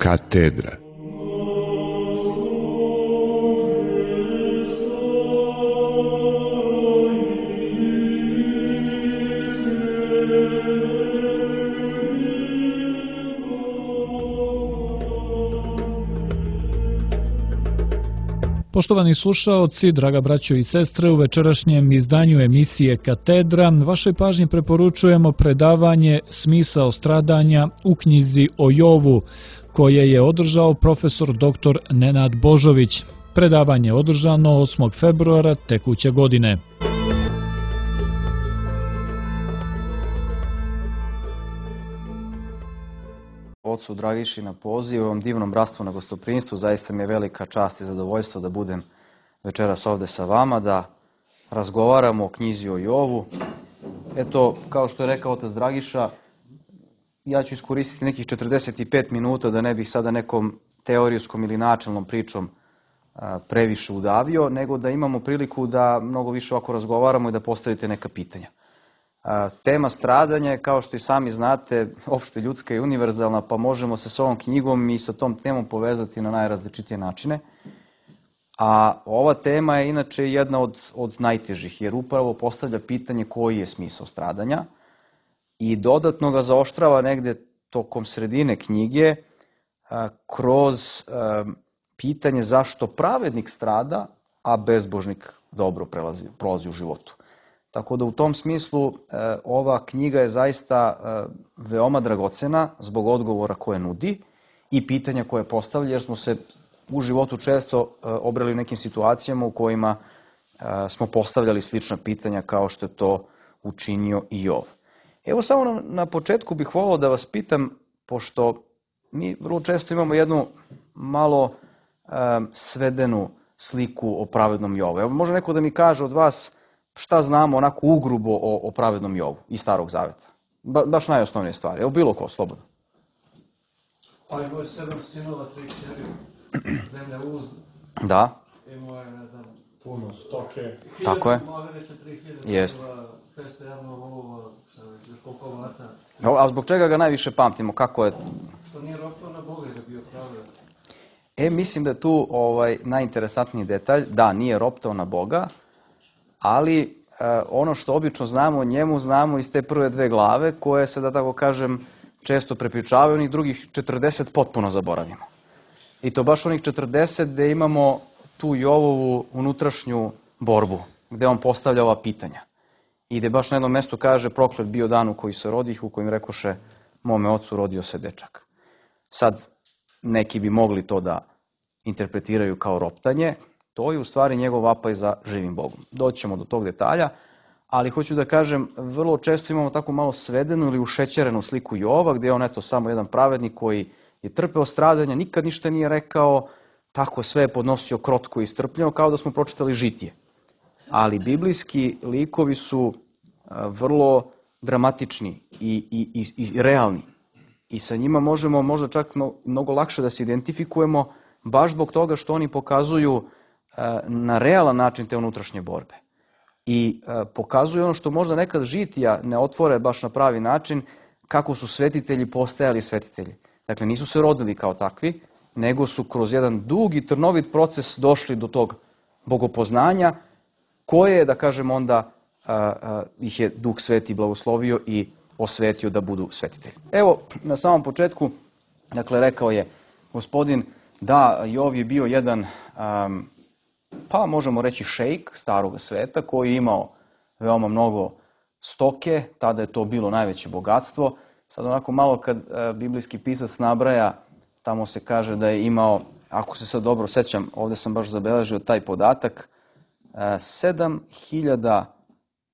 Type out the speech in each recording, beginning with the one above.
Katedra. Poštovani slušaoci, draga braćo i sestre, u večerašnjem izdanju emisije Katedra vašoj pažnji preporučujemo predavanje Smisao stradanja u knjizi o Jovu, koje je održao profesor dr. Nenad Božović. Predavanje je održano 8. februara tekuće godine. Ocu Dragiši na poziv, ovom divnom bratstvu na gostoprimstvu, zaista mi je velika čast i zadovoljstvo da budem večeras ovde sa vama, da razgovaramo o knjizi o Jovu. Eto, kao što je rekao otac Dragiša, ja ću iskoristiti nekih 45 minuta da ne bih sada nekom teorijskom ili načelnom pričom previše udavio, nego da imamo priliku da mnogo više ovako razgovaramo i da postavite neka pitanja. Tema stradanja je, kao što i sami znate, opšte ljudska i univerzalna, pa možemo se s ovom knjigom i sa tom temom povezati na najrazličitije načine. A ova tema je inače jedna od najtežih, jer upravo postavlja pitanje koji je smisao stradanja i dodatno ga zaoštrava negde tokom sredine knjige kroz pitanje zašto pravednik strada, a bezbožnik dobro prolazi u životu. Tako da u tom smislu ova knjiga je zaista veoma dragocena zbog odgovora koje nudi i pitanja koje postavlja, jer smo se u životu često obrali u nekim situacijama u kojima smo postavljali slična pitanja kao što je to učinio i Jov. Evo samo na početku bih volao da vas pitam, pošto mi vrlo često imamo jednu malo svedenu sliku o pravednom Jovu. Evo može neko da mi kaže od vas šta znamo onako ugrubo o pravednom Jovu iz Starog Zaveta? Baš najosnovnije stvari. Evo bilo ko, slobodno. Pa imao je 7 sinova, 3 kćeri, zemlja uz. Da. Imao je, ne znam, puno stoke. Tako je. Malo veće 3000. Jest. 500 javno volova, još koliko ovaca. A zbog čega ga najviše pamtimo? Kako je? Što nije ropao na Boga i da bio pravedan. Mislim da je tu najinteresantniji detalj. Da, nije roptao na Boga, ali ono što obično znamo o njemu, znamo iz te prve 2 glave, koje se, da tako kažem, često prepričavaju, onih drugih 40 potpuno zaboravimo. I to baš onih 40 gde imamo tu Jovovu unutrašnju borbu, gde on postavlja ova pitanja. I gde baš na jednom mestu kaže: proklet bio dan u koji se rodih, u kojim rekoše mome ocu rodio se dečak. Sad, neki bi mogli to da interpretiraju kao roptanje. To je u stvari njegov vapaj za živim Bogom. Doći ćemo do tog detalja, ali hoću da kažem, vrlo često imamo tako malo svedenu ili ušećerenu sliku Jova, gde je on eto samo jedan pravednik koji je trpeo stradanja, nikad ništa nije rekao, tako sve je podnosio krotko i strpljivo, kao da smo pročitali Žitije. Ali biblijski likovi su vrlo dramatični i realni. I sa njima možemo možda čak mnogo lakše da se identifikujemo, baš zbog toga što oni pokazuju na realan način te unutrašnje borbe. I pokazuje ono što možda nekad Žitija ne otvore baš na pravi način, kako su svetitelji postajali svetitelji. Dakle, nisu se rodili kao takvi, nego su kroz jedan dug i trnovit proces došli do tog bogopoznanja, koje je, da kažem, onda ih je Duh Sveti blagoslovio i osvetio da budu svetitelji. Evo, na samom početku, dakle, rekao je gospodin da Jov je bio jedan pa možemo reći šejk starog sveta koji je imao veoma mnogo stoke, tada je to bilo najveće bogatstvo. Sad onako malo kad biblijski pisac nabraja, tamo se kaže da je imao, ako se sad dobro sećam, ovde sam baš zabeležio taj podatak, 7000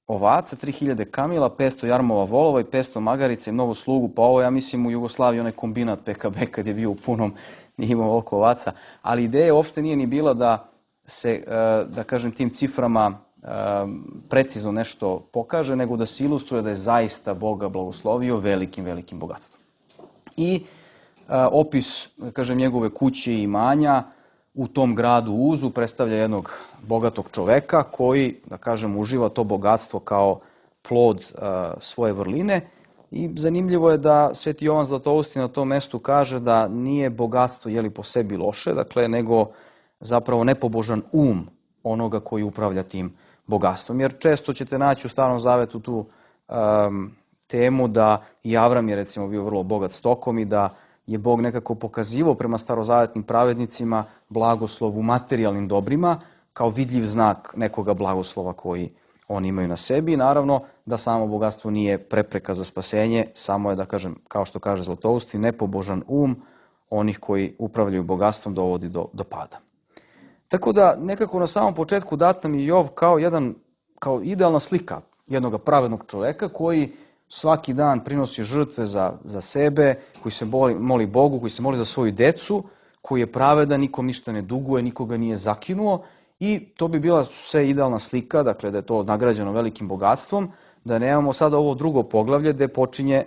ovaca, 3000 kamila, 500 jarmova volova i 500 magarica i mnogo slugu, pa ovo ja mislim u Jugoslaviji onaj kombinat PKB kad je bio u punom, nije imao ovoliko ovaca, ali ideja uopšte nije ni bila da se, da kažem, tim ciframa precizno nešto pokaže, nego da se ilustruje da je zaista Boga blagoslovio velikim bogatstvom. I opis, da kažem, njegove kuće i imanja u tom gradu Uzu predstavlja jednog bogatog čoveka koji, da kažem, uživa to bogatstvo kao plod svoje vrline I zanimljivo je da Sveti Jovan Zlatousti na tom mestu kaže da nije bogatstvo po sebi loše, dakle, nego zapravo nepobožan onoga koji upravlja tim bogatstvom. Jer često ćete naći u Starom Zavetu tu temu da i Avram je recimo bio vrlo bogat stokom i da je Bog nekako pokazivao prema starozavetnim pravednicima blagoslov u materijalnim dobrima kao vidljiv znak nekoga blagoslova koji oni imaju na sebi. I naravno da samo bogatstvo nije prepreka za spasenje, samo je, da kažem, kao što kaže Zlatousti, nepobožan onih koji upravljaju bogatstvom dovodi do pada. Tako da nekako na samom početku dat nam je Jov kao idealna slika jednog pravednog čoveka koji svaki dan prinosi žrtve za sebe, koji se moli Bogu, koji se moli za svoju decu, koji je pravedan, nikom ništa ne duguje, nikoga nije zakinuo i to bi bila sve idealna slika, dakle da je to nagrađeno velikim bogatstvom, da nemamo sada ovo drugo poglavlje gde počinje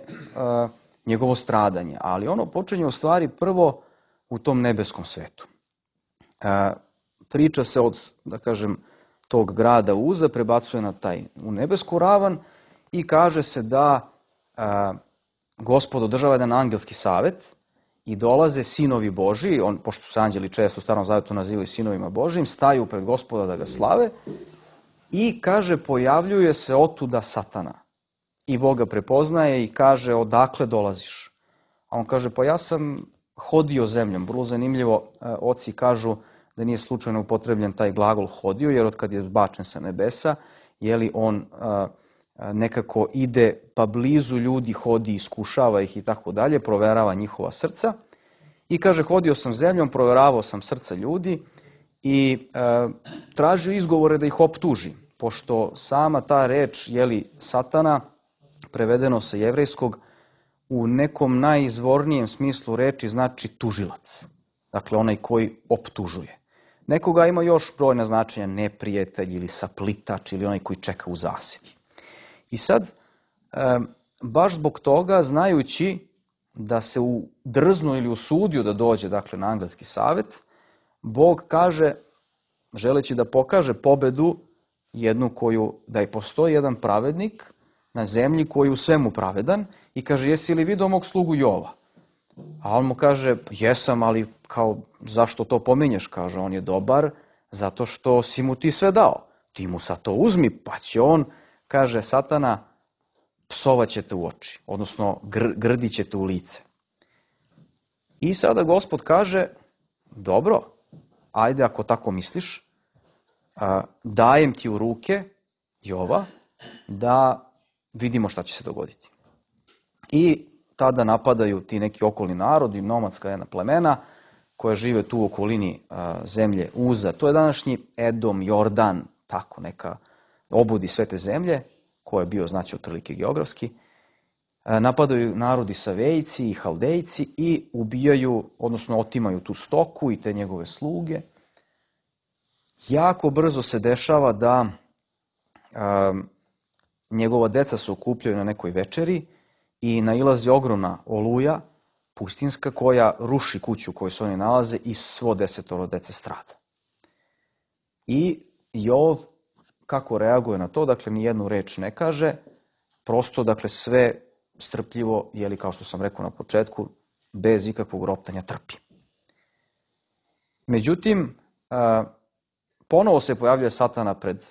njegovo stradanje, ali ono počinje u stvari prvo u tom nebeskom svetu. Priča se od, da kažem, tog grada Uza prebacuje u nebesku ravan i kaže se da Gospod održava jedan angelski savet i dolaze sinovi Božiji, pošto su se anđeli često u Starom Zavetu nazivaju sinovima Božijim, staju pred Gospoda da ga slave i kaže pojavljuje se otuda Satana. I Bog ga prepoznaje i kaže odakle dolaziš? A on kaže pa ja sam hodio zemljom. Vrlo zanimljivo, oci kažu da nije slučajno upotrebljen taj glagol hodio, jer otkad je bačen sa nebesa, on nekako ide pa blizu ljudi, hodi, iskušava ih i tako dalje, proverava njihova srca. I kaže, hodio sam zemljom, proveravao sam srca ljudi i tražio izgovore da ih optuži, pošto sama ta reč, Satana, prevedeno sa jevrejskog, u nekom najizvornijem smislu reči znači tužilac. Dakle, onaj koji optužuje. Nekoga ima još brojna značenja, neprijatelj ili saplitač ili onaj koji čeka u zasidi. I sad, baš zbog toga, znajući da se drznuo ili usudio da dođe, dakle, na angelski savet, Bog kaže, želeći da pokaže pobedu jednu da je postoji jedan pravednik na zemlji koji je u svemu pravedan i kaže, jesi li vidio mog slugu Jova? A on mu kaže, jesam, ali zašto to pominješ? Kaže, on je dobar zato što si mu ti sve dao. Ti mu sad to uzmi, pa će on, kaže Satana, psovaćete u oči, odnosno grdićete u lice. I sada Gospod kaže, dobro, ajde ako tako misliš, dajem ti u ruke Jova da vidimo šta će se dogoditi. I tada napadaju ti neki okolni narodi, nomadska jedna plemena koja žive tu u okolini zemlje Uza. To je današnji Edom, Jordan, tako neka obudi sve te zemlje, koje je bio znači otprilike geografski. Napadaju narodi Savejci i Haldejci i ubijaju, odnosno otimaju tu stoku i te njegove sluge. Jako brzo se dešava da njegova deca se okupljaju na nekoj večeri i nailazi ogromna oluja pustinska koja ruši kuću u kojoj se oni nalaze i svo 10 dece strada. I Jov kako reaguje na to, dakle ni jednu reč ne kaže, prosto dakle sve strpljivo, kao što sam rekao na početku, bez ikakvog roptanja trpi. Međutim, ponovo se pojavljuje Satana pred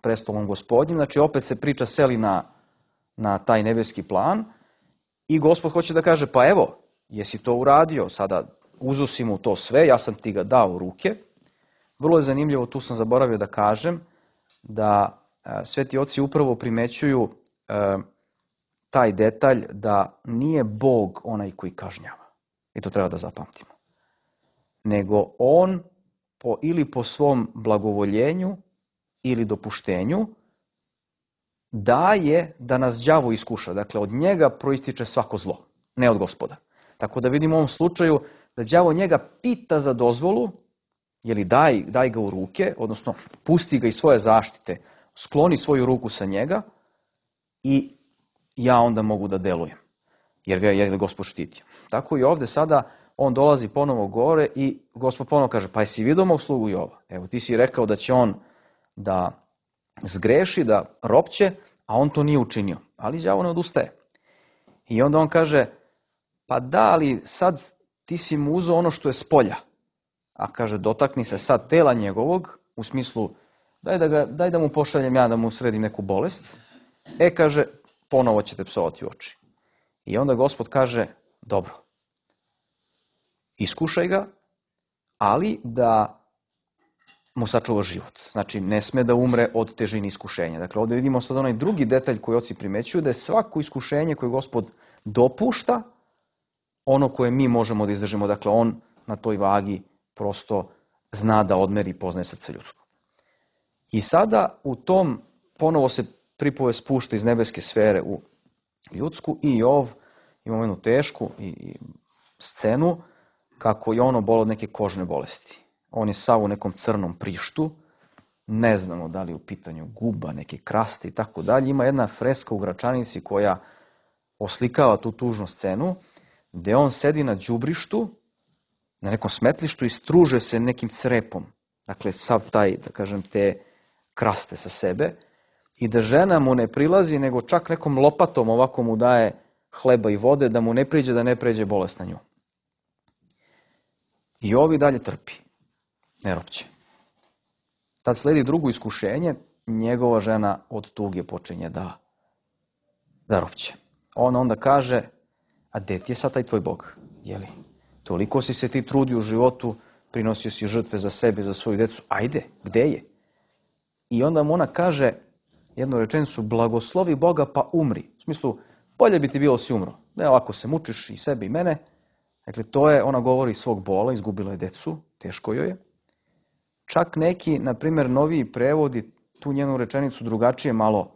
prestolom Gospodnjim, znači opet se priča seli na taj nebeski plan i Gospod hoće da kaže, pa evo, jesi to uradio, sada uzo si mu to sve, ja sam ti ga dao u ruke. Vrlo je zanimljivo, tu sam zaboravio da kažem, da sveti oci upravo primećuju taj detalj da nije Bog onaj koji kažnjava. I to treba da zapamtimo. Nego on ili po svom blagovoljenju ili dopuštenju daje da nas đavo iskuša. Dakle, od njega proističe svako zlo, ne od Gospoda. Tako da vidimo u ovom slučaju da đavo njega pita za dozvolu, daj ga u ruke, odnosno pusti ga iz svoje zaštite, skloni svoju ruku sa njega i ja onda mogu da delujem, jer ga je Gospod štitio. Tako i ovde sada on dolazi ponovo gore i Gospod ponovo kaže, pa jesi vidio mog slugu Jova? Evo, ti si rekao da će on da zgreši, da ropće, a on to nije učinio. Ali đavo ne odustaje. I onda on kaže, pa da, ali sad ti si mu uzeo ono što je s polja. A kaže, dotakni se sad tela njegovog, u smislu, daj da mu pošaljem ja da mu sredim neku bolest. Kaže, ponovo će te psovati u oči. I onda Gospod kaže, dobro, iskušaj ga, ali da mu sačuva život. Znači, ne sme da umre od težine iskušenja. Dakle, ovdje vidimo sad onaj drugi detalj koji oci primećuju, da je svako iskušenje koje Gospod dopušta, ono koje mi možemo da izdržimo. Dakle, on na toj vagi prosto zna da odmeri i poznaje srce ljudsko. I sada u tom ponovo se pripovest spušta iz nebeske sfere u ljudsku i Jov ima jednu tešku i scenu kako je ono bolo od neke kožne bolesti. On je sav u nekom crnom prištu, ne znamo da li je u pitanju guba, neke kraste i tako dalje. Ima jedna freska u Gračanici koja oslikava tu tužnu scenu, gde on sedi na đubrištu, na nekom smetlištu i struže se nekim crepom. Dakle, sav taj, da kažem, te kraste sa sebe. I da žena mu ne prilazi, nego čak nekom lopatom ovako mu daje hleba i vode, da mu ne priđe, da ne pređe bolest na nju. I ovi dalje trpi, ne ropće. Tad sledi drugo iskušenje, njegova žena od tuge počinje da ropće. On onda kaže, a gde ti je sad taj tvoj Bog? Jeli? Toliko si se ti trudio u životu, prinosio si žrtve za sebe, za svoju decu, ajde, gde je? I onda mu ona kaže jednu rečenicu, blagoslovi Boga pa umri. U smislu, bolje bi ti bilo si umro. Ne, ovako se mučiš i sebe i mene. Dakle, to je, ona govori iz svog bola, izgubila je decu, teško joj je. Čak neki, na primjer, noviji prevodi tu njenu rečenicu drugačije malo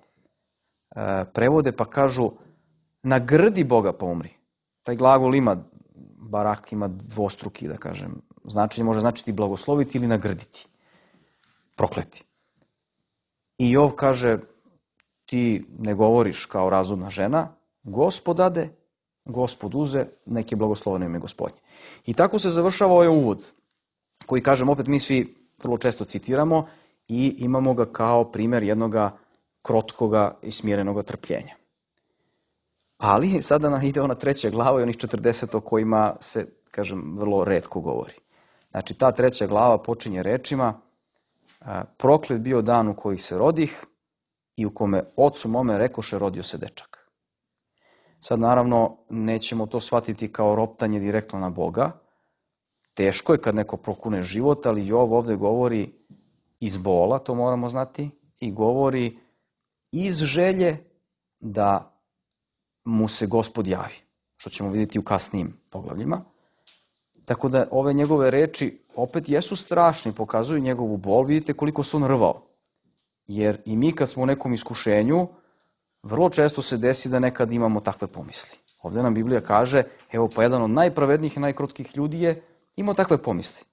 prevode, pa kažu, nagrdi Boga pa umri. Taj glagol ima, barak ima dvostruki, da kažem, značenje može značiti blagosloviti ili nagrditi, prokleti. I Jov kaže, ti ne govoriš kao razumna žena, Gospod dade, Gospod uze, neki blagosloveno ime Gospodnje. I tako se završava ovaj uvod, koji, kažem, opet mi svi vrlo često citiramo i imamo ga kao primjer jednoga krotkoga i smirenog trpljenja. Ali sada ide ona 3. glava i onih 40 o kojima se, kažem, vrlo retko govori. Znači, ta 3. glava počinje rečima, proklet bio dan u koji se rodih i u kome ocu mome rekoše rodio se dečak. Sad, naravno, nećemo to shvatiti kao roptanje direktno na Boga. Teško je kad neko prokune život, ali Jov ovdje govori iz bola, to moramo znati, i govori iz želje da mu se Gospod javi, što ćemo vidjeti u kasnijim poglavljima. Tako da ove njegove reči opet jesu strašni, pokazuju njegovu bol, vidite koliko se on rvao. Jer i mi kad smo u nekom iskušenju, vrlo često se desi da nekad imamo takve pomisli. Ovdje nam Biblija kaže, evo pa jedan od najpravednijih i najkrotkih ljudi je imao takve pomisli.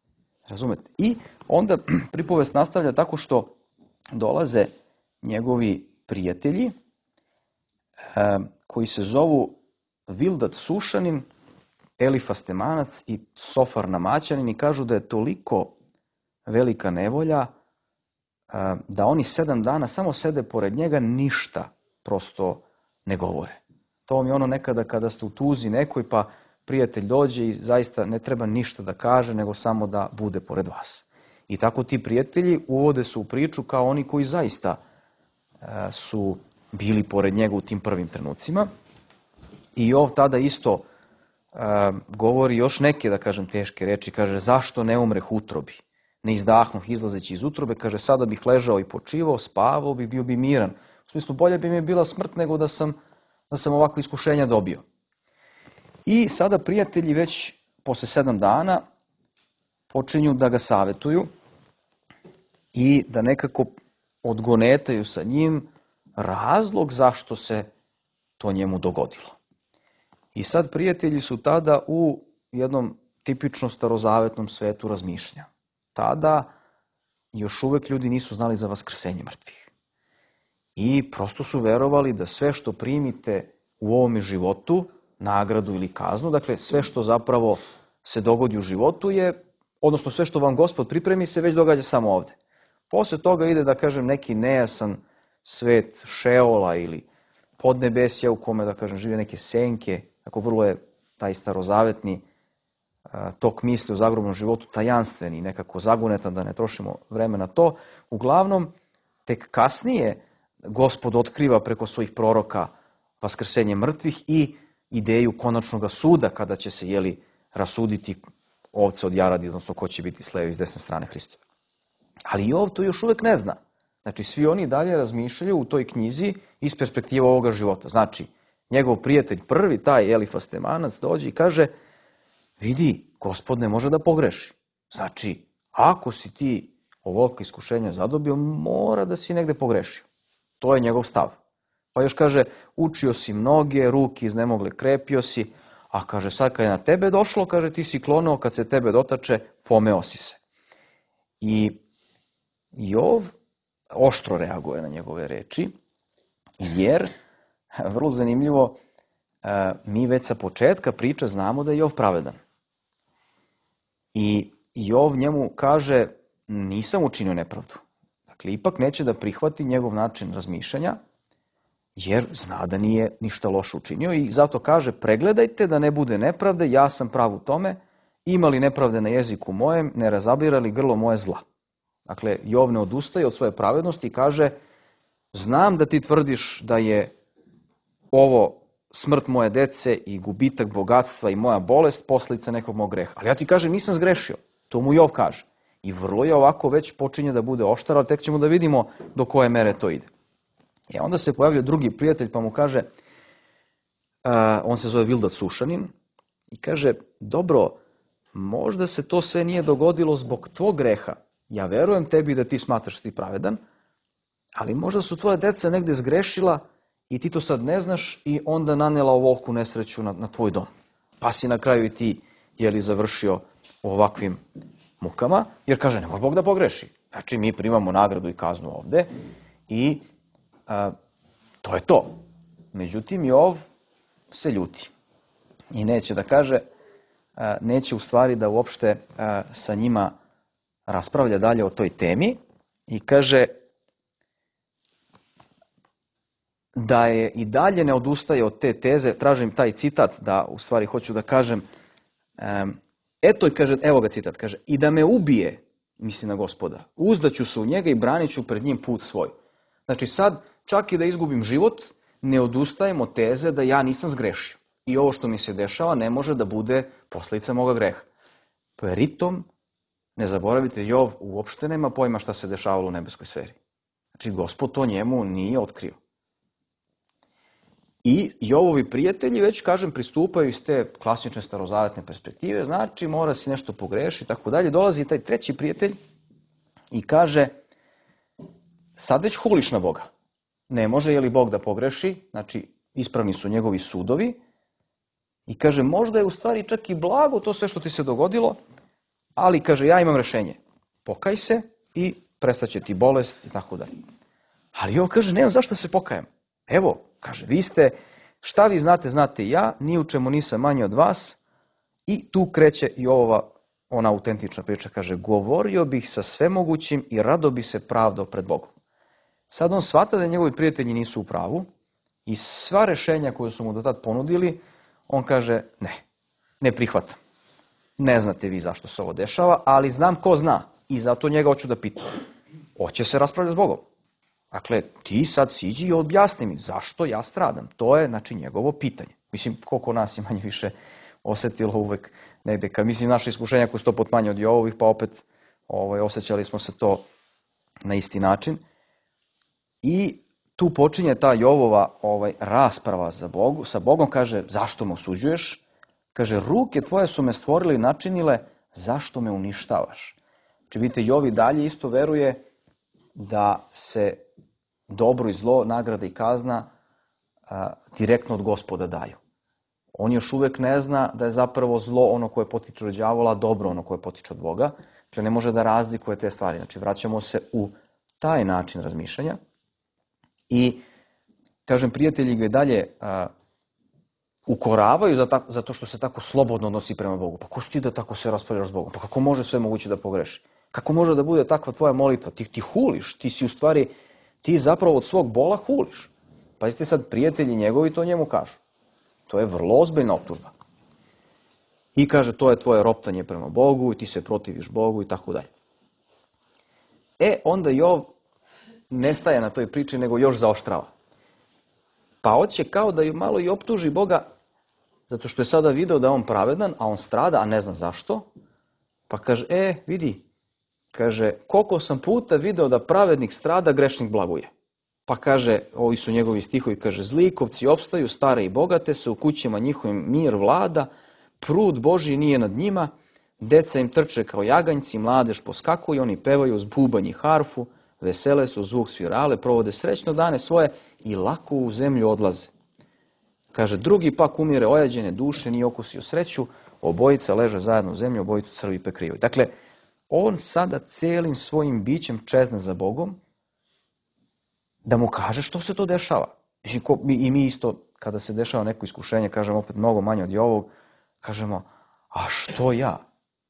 Razumete? I onda pripovest nastavlja tako što dolaze njegovi prijatelji koji se zovu Vildat Sušanin, Elifas Temanac i Sofar Namaćanin i kažu da je toliko velika nevolja da oni 7 dana samo sede pored njega, ništa prosto ne govore. To vam je ono nekada kada ste u tuzi nekoj pa prijatelj dođe i zaista ne treba ništa da kaže nego samo da bude pored vas. I tako ti prijatelji uvode se u priču kao oni koji zaista su bili pored njega u tim prvim trenucima. I Jov tada isto govori još neke, da kažem, teške reči. Kaže, zašto ne umreh utrobi? Ne izdahnuh izlazeći iz utrobe. Kaže, sada bih ležao i počivao, spavao bi, bio bi miran. U smislu, bolje bi mi bila smrt nego da sam ovakve iskušenja dobio. I sada prijatelji već posle 7 dana počinju da ga savetuju i da nekako odgonetaju sa njim razlog zašto se to njemu dogodilo. I sad prijatelji su tada u jednom tipično starozavetnom svetu razmišljanja. Tada još uvek ljudi nisu znali za vaskrsenje mrtvih. I prosto su verovali da sve što primite u ovome životu, nagradu ili kaznu, dakle sve što zapravo se dogodi u životu je, odnosno sve što vam Gospod pripremi se već događa samo ovde. Posle toga ide, da kažem, neki nejasan svet Šeola ili podnebesja u kome, da kažem, žive neke senke, tako vrlo je taj starozavetni tok misli o zagrobnom životu tajanstveni, nekako zagunetan, da ne trošimo vreme na to. Uglavnom, tek kasnije Gospod otkriva preko svojih proroka vaskrsenje mrtvih i ideju konačnog suda, kada će se, rasuditi ovce od jaradi, odnosno ko će biti s leve i s desne strane Hristove. Ali Jov to još uvek ne zna. Znači, svi oni dalje razmišljaju u toj knjizi iz perspektive ovoga života. Znači, njegov prijatelj prvi, taj Elifas Temanac, dođe i kaže: vidi, Gospod ne može da pogreši. Znači, ako si ti ovoliko iskušenja zadobio, mora da si negde pogrešio. To je njegov stav. Pa još kaže: učio si mnoge, ruke iznemogle, krepio si, a kaže, sad kad je na tebe došlo, kaže, ti si klonuo, kad se tebe dotače, pomeo si se. I Jov oštro reaguje na njegove reči, jer, vrlo zanimljivo, mi već sa početka priče znamo da je Jov pravedan. I Jov njemu kaže: nisam učinio nepravdu. Dakle, ipak neće da prihvati njegov način razmišljanja, jer zna da nije ništa loše učinio i zato kaže: pregledajte da ne bude nepravde, ja sam prav u tome, ima li nepravde na jeziku mojem, ne razabira li grlo moje zla. Dakle, Jov ne odustaje od svoje pravednosti i kaže: znam da ti tvrdiš da je ovo smrt moje dece i gubitak bogatstva i moja bolest posljedica nekog mog greha. Ali ja ti kažem, nisam zgrešio. To mu Jov kaže. I vrlo je ovako već počinje da bude oštar, ali tek ćemo da vidimo do koje mere to ide. I onda se pojavlja drugi prijatelj pa mu kaže, on se zove Vildat Sušanin, i kaže: dobro, možda se to sve nije dogodilo zbog tvog greha. Ja verujem tebi da ti smatraš da ti pravedan, ali možda su tvoje deca negde zgrešila i ti to sad ne znaš i onda nanela ovoliku nesreću na tvoj dom. Pa si na kraju i ti, završio u ovakvim mukama, jer kaže, ne može Bog da pogreši. Znači, mi primamo nagradu i kaznu ovde i to je to. Međutim, Jov se ljuti i neće da kaže, neće u stvari da uopšte sa njima raspravlja dalje o toj temi i kaže da je i dalje ne odustaje od te teze. Tražim taj citat, da u stvari hoću da kažem, eto, kaže, evo ga citat, kaže: i da me ubije, misli na Gospoda, uzdaću se u njega i branit ću pred njim put svoj. Znači sad, čak i da izgubim život, ne odustajem od teze da ja nisam zgrešio. I ovo što mi se dešava ne može da bude posljedica moga greha. Pritom, ne zaboravite, Jov uopšte nema pojma šta se dešavalo u nebeskoj sferi. Znači, Gospod to njemu nije otkrio. I Jovovi prijatelji već, kažem, pristupaju iz te klasične starozavetne perspektive, znači mora si nešto pogrešiti i tako dalje. Dolazi taj treći prijatelj i kaže: sad već huliš na Boga. Ne može, je li Bog da pogreši? Znači, ispravni su njegovi sudovi. I kaže, možda je u stvari čak i blago to sve što ti se dogodilo, ali, kaže, ja imam rešenje. Pokaj se i prestaće ti bolest i tako dalje. Ali Jov kaže, nemam zašto se pokajem. Evo, kaže, vi ste, šta vi znate, znate i ja, ni u čemu nisam manji od vas. I tu kreće i ona autentična priča, kaže, govorio bih sa svemogućim i rado bi se pravdao pred Bogom. Sad on shvata da njegovi prijatelji nisu u pravu i sva rešenja koje su mu do tad ponudili, on kaže, ne prihvatam. Ne znate vi zašto se ovo dešava, ali znam ko zna i zato njega hoću da pitam. Hoće se raspravljati s Bogom. Dakle, ti sad siđi i objasni mi zašto ja stradam. To je, znači, njegovo pitanje. Mislim, koliko nas je manje više osetilo uvek negde. Mislim, naše iskušenja koje su to potmanje od Jovovih, pa opet osjećali smo se to na isti način. I tu počinje ta Jovova rasprava sa Bogom. Kaže, zašto me osuđuješ? Kaže, ruke tvoje su me stvorile i načinile, zašto me uništavaš? Znači, vidite, Jov i dalje isto veruje da se dobro i zlo, nagrada i kazna direktno od Gospoda daju. On još uvek ne zna da je zapravo zlo ono koje potiče od đavola, a dobro ono koje potiče od Boga. Dakle, ne može da razlikuje te stvari. Znači, vraćamo se u taj način razmišljanja. I, kažem, prijatelji ga i dalje ukoravaju zato što se tako slobodno odnosi prema Bogu. Pa ko si ti da tako se raspravljaš s Bogom? Pa kako može sve moguće da pogreši? Kako može da bude takva tvoja molitva? Ti huliš, ti si u stvari, ti zapravo od svog bola huliš. Pazite sad, prijatelji njegovi to njemu kažu. To je vrlo ozbiljna optužba. I kaže, to je tvoje roptanje prema Bogu i ti se protiviš Bogu i tako dalje. Onda Jov ne staje na toj priči, nego još zaoštrava. Pa hoće kao da malo i optuži Boga, zato što je sada video da je on pravedan, a on strada, a ne zna zašto. Pa kaže, vidi, kaže, koliko sam puta video da pravednik strada, grešnik blaguje. Pa kaže, ovi su njegovi stihovi, kaže, zlikovci opstaju, stare i bogate se, u kućama njihovim mir vlada, prud Božji nije nad njima, deca im trče kao jaganjci, mladež poskakuje, oni pevaju uz bubanj i harfu, vesele su zvuk svirale, provode srećno dane svoje i lako u zemlju odlaze. Kaže, drugi pak umire ojađene duše, nije okusio sreću, obojica leže zajedno u zemlju, obojicu crvi pekrivaju. Dakle, on sada celim svojim bićem čezne za Bogom, da mu kaže što se to dešava. I mi isto, kada se dešava neko iskušenje, kažemo opet mnogo manje od ovog, kažemo, a što ja?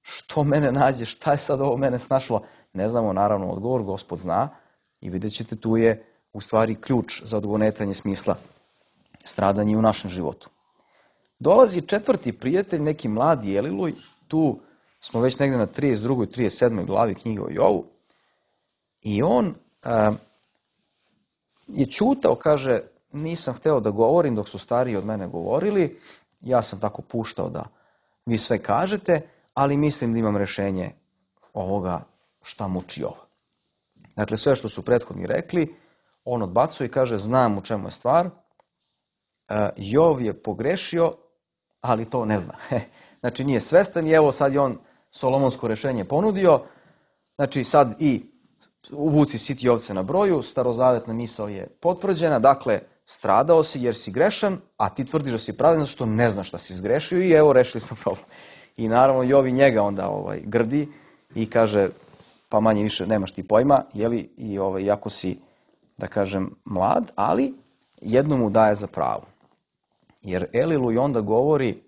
Što mene nađe? Šta je sad ovo mene snašlo? Ne znamo, naravno, odgovor, Gospod zna i vidjet ćete, tu je u stvari ključ za odgonetanje smisla stradanja u našem životu. Dolazi četvrti prijatelj, neki mladi Eliluj, tu smo već negde na 32. i 37. glavi knjige o Jovu, i on je ćutao, kaže, nisam hteo da govorim dok su stariji od mene govorili, ja sam tako puštao da vi sve kažete, ali mislim da imam rešenje ovoga šta muči Jova. Dakle, sve što su prethodni rekli, on odbacuje i kaže, znam u čemu je stvar, Jov je pogrešio, ali to ne zna. Znači, nije svestan i evo sad je on solomonsko rešenje ponudio, znači sad i uvuci siti ovce na broju, starozavetna misao je potvrđena, dakle, stradao si jer si grešan, a ti tvrdiš da si pravedan zato što ne znaš šta si zgrešio i evo, rešili smo problem. I naravno, Jov i njega onda grdi i kaže, pa manje više nemaš ti pojma, jeli, i iako si, da kažem, mlad, ali jedno mu daje za pravo. Jer Eliluj onda govori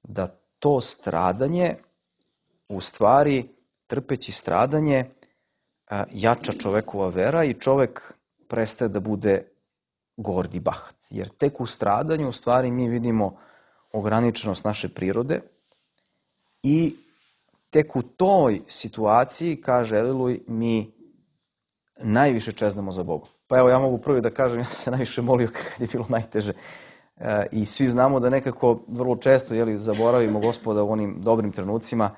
da to stradanje, u stvari, trpeći stradanje, jača čovekova vera i čovek prestaje da bude gord i bahat. Jer tek u stradanju, u stvari, mi vidimo ograničenost naše prirode i tek u toj situaciji, kaže Eliluj, mi najviše čeznemo za Bogom. Pa evo, ja mogu prvi da kažem, ja sam se najviše molio kad je bilo najteže. I svi znamo da nekako vrlo često zaboravimo Gospoda u onim dobrim trenucima.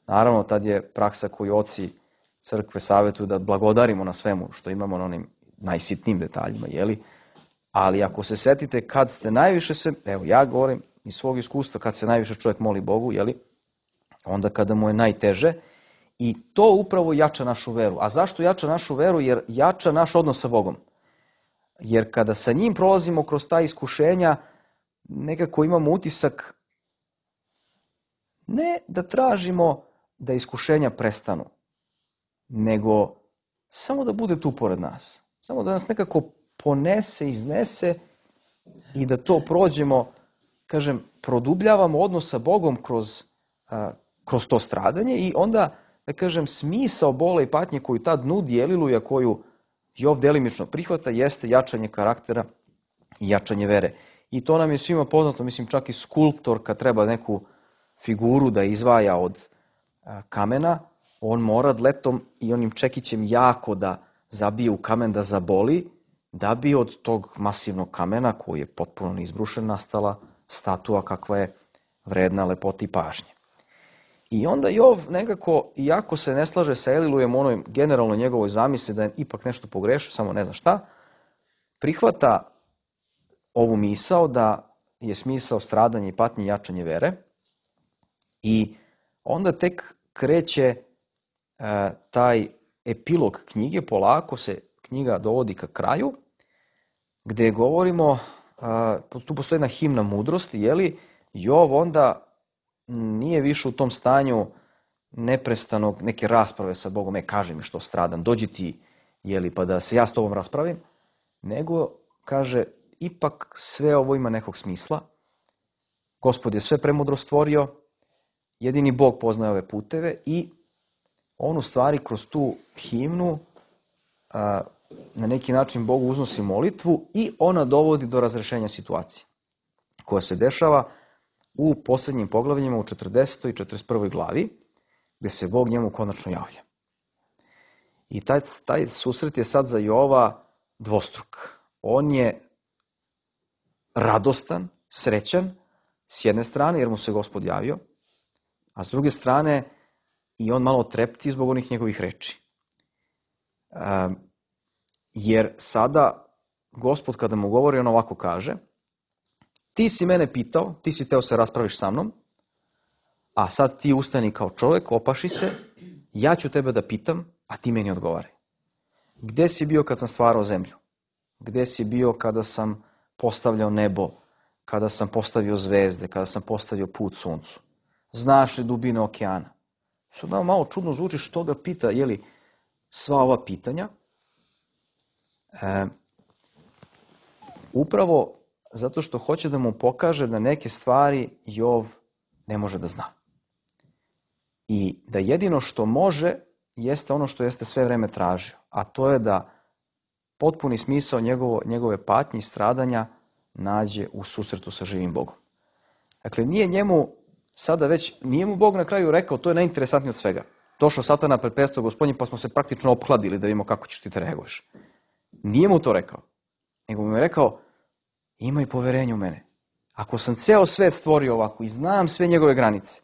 Naravno, tad je praksa koju oci crkve savjetuju da blagodarimo na svemu što imamo, na onim najsitnijim detaljima, ali ako se setite kad ste najviše evo ja govorim iz svog iskustva, kad se najviše čovjek moli Bogu, onda kada mu je najteže, i to upravo jača našu veru. A zašto jača našu veru? Jer jača naš odnos sa Bogom. Jer kada sa njim prolazimo kroz ta iskušenja, nekako imamo utisak ne da tražimo da iskušenja prestanu, nego samo da bude tu pored nas. Samo da nas nekako ponese, iznese i da to prođemo, kažem, produbljavamo odnos sa Bogom kroz to stradanje i onda, da kažem, smisao bola i patnje koju tad nudi Eliluja, koju Jov delimično prihvata, jeste jačanje karaktera i jačanje vere. I to nam je svima poznato, mislim, čak i skulptor kad treba neku figuru da izvaja od kamena, on mora dletom i onim čekićem jako da zabije u kamen, da zaboli, da bi od tog masivnog kamena, koji je potpuno neizbrušen, nastala statua kakva je vredna lepote i pažnje. I onda Jov nekako, iako se ne slaže sa Elilujem, onoj generalno njegovoj zamisli da je ipak nešto pogrešio, samo ne zna šta, prihvata ovu misao da je smisao stradanja i patnje jačanje vere i onda tek kreće taj epilog knjige, polako se knjiga dovodi ka kraju, gde govorimo, tu postoji jedna himna mudrosti, Jov onda nije više u tom stanju neprestanog neke rasprave sa Bogom, kaži mi što stradam, dođi ti, pa da se ja s tobom raspravim, nego kaže, ipak sve ovo ima nekog smisla, Gospod je sve premudro stvorio, jedini Bog poznaje ove puteve i on u stvari kroz tu himnu na neki način Bogu uznosi molitvu i ona dovodi do razrešenja situacije koja se dešava u posljednjim poglavljima u 40. i 41. glavi, gde se Bog njemu konačno javlja. I taj susret je sad za Jova dvostruk. On je radostan, srećan, s jedne strane, jer mu se Gospod javio, a s druge strane i on malo trepti zbog onih njegovih reči. Jer sada Gospod kada mu govori, on ovako kaže: ti si mene pitao, ti si teo se raspraviš sa mnom, a sad ti ustani kao čovjek, opaši se, ja ću tebe da pitam, a ti meni odgovaraj. Gde si bio kad sam stvarao zemlju? Gde si bio kada sam postavljao nebo, kada sam postavio zvezde, kada sam postavio put suncu? Znaš li dubine okeana? Sad nam malo čudno zvuči što ga pita, jeli, sva ova pitanja. Upravo zato što hoće da mu pokaže da neke stvari Jov ne može da zna. I da jedino što može jeste ono što jeste sve vreme tražio, a to je da potpuni smisao njegove patnje i stradanja nađe u susretu sa živim Bogom. Dakle, nije mu Bog na kraju rekao, to je najinteresantnije od svega. Došao Satana pred presto Gospodnji, pa smo se praktično opkladili da vidimo kako ćeš ti te reaguješ. Nije mu to rekao, nego mu je rekao: imaj poverenje u mene. Ako sam ceo svet stvorio ovako i znam sve njegove granice,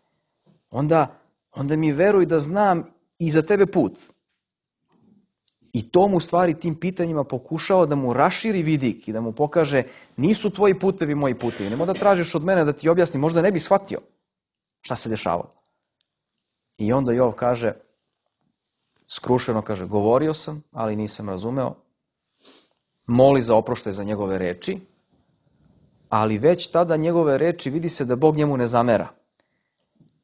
onda mi veruj da znam i za tebe put. I to mu u stvari tim pitanjima pokušava da mu raširi vidik i da mu pokaže: nisu tvoji putevi moji putevi. Nemoj da tražiš od mene da ti objasnim, možda ne bi shvatio šta se dešavalo. I onda Jov kaže, skrušeno kaže: govorio sam, ali nisam razumeo. Moli za oproštaj za njegove reči, ali već tada njegove reči vidi se da Bog njemu ne zamera.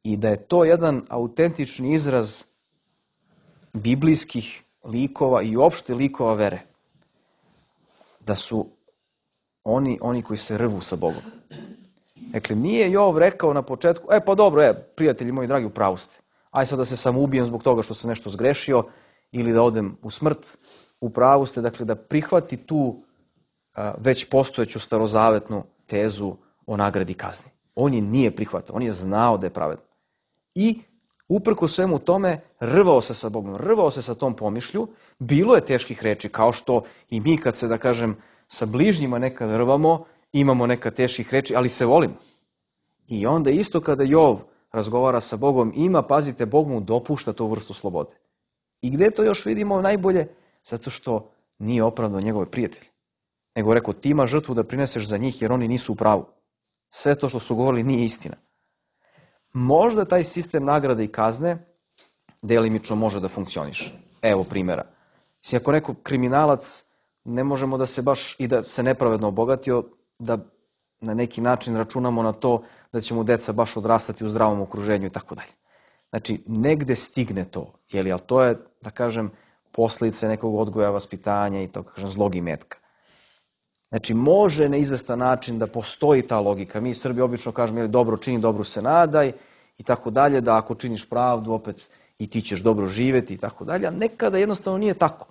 I da je to jedan autentični izraz biblijskih likova i uopšte likova vere. Da su oni koji se rvu sa Bogom. Dakle, nije Jov rekao na početku: pa dobro, prijatelji moji dragi, u pravu ste. Aj sad da se samo ubijem zbog toga što sam nešto zgrešio ili da odem u smrt. U pravu ste, dakle, da prihvati tu već postojeću starozavetnu tezu o nagradi kazni. On je nije prihvatao, on je znao da je pravedan. I uprko svemu tome rvao se sa Bogom, rvao se sa tom pomišlju. Bilo je teških reči, kao što i mi kad se, da kažem, sa bližnjima nekad rvamo, imamo nekad teških reči, ali se volimo. I onda isto kada Jov razgovara sa Bogom, pazite, Bog mu dopušta tu vrstu slobode. I gde to još vidimo najbolje? Zato što nije opravdao njegove prijatelje. Nego rekao: ti imaš žrtvu da prineseš za njih jer oni nisu u pravu. Sve to što su govorili nije istina. Možda taj sistem nagrade i kazne delimično može da funkcioniše. Evo primjera. Ako neko kriminalac, ne možemo da se baš i da se nepravedno obogatio, da na neki način računamo na to da će mu deca baš odrastati u zdravom okruženju i tako dalje. Znači, negde stigne to, ali to je, da kažem, posledice nekog odgoja, vaspitanja i tako kažem zlog imetka. Znači, može na izvestan način da postoji ta logika. Mi Srbi obično kažemo: dobro čini, dobro se nadaj i tako dalje, da ako činiš pravdu, opet i ti ćeš dobro živeti i tako dalje. A nekada jednostavno nije tako.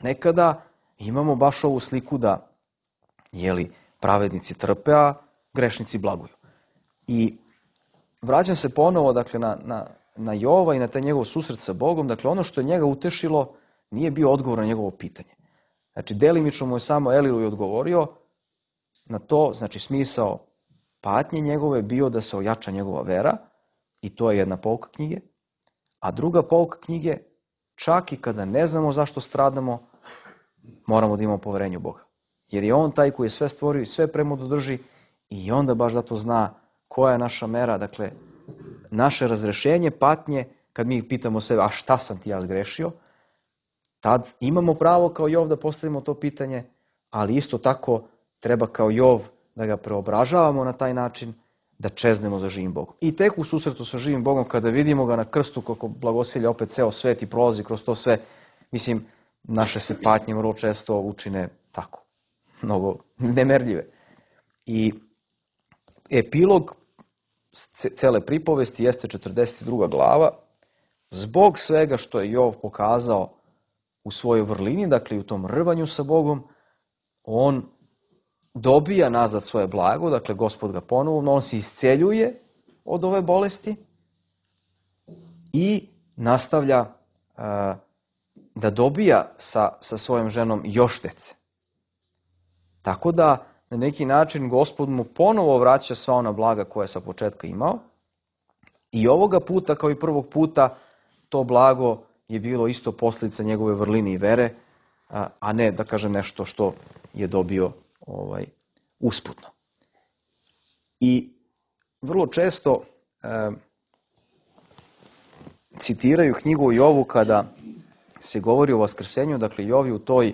Nekada imamo baš ovu sliku da, pravednici trpe, a grešnici blaguju. I vraćam se ponovo, dakle, na Jova i na taj njegov susret sa Bogom. Dakle, ono što je njega utešilo nije bio odgovor na njegovo pitanje. Znači, delimično mu je samo Elilu odgovorio na to, znači smisao patnje njegove bio da se ojača njegova vera, i to je jedna pouka knjige. A druga pouka knjige, čak i kada ne znamo zašto stradamo, moramo da imamo poverenje u Boga. Jer je on taj koji je sve stvorio i sve premudu drži, i onda baš zato zna koja je naša mera, dakle, naše razrešenje patnje, kad mi pitamo sebe: a šta sam ti ja zgrešio? Tad imamo pravo kao Jov da postavimo to pitanje, ali isto tako treba kao Jov da ga preobražavamo na taj način, da čeznemo za živim Bogom. I tek u susretu sa živim Bogom, kada vidimo ga na krstu kako blagosilja opet ceo svet i prolazi kroz to sve, mislim, naše se patnje vrlo često učine tako, mnogo nemerljive. I epilog cele pripovesti jeste 42. glava. Zbog svega što je Jov pokazao u svojoj vrlini, dakle u tom rvanju sa Bogom, on dobija nazad svoje blago, dakle Gospod ga ponovo, on se isceljuje od ove bolesti i nastavlja da dobija sa svojom ženom još dece. Tako da na neki način Gospod mu ponovo vraća sva ona blaga koja je sa početka imao i ovoga puta kao i prvog puta to blago je bilo isto posljedica njegove vrline i vere, a ne da kažem nešto što je dobio usputno. I vrlo često citiraju knjigu o Jovu kada se govori o vaskrsenju, dakle Jov je u toj,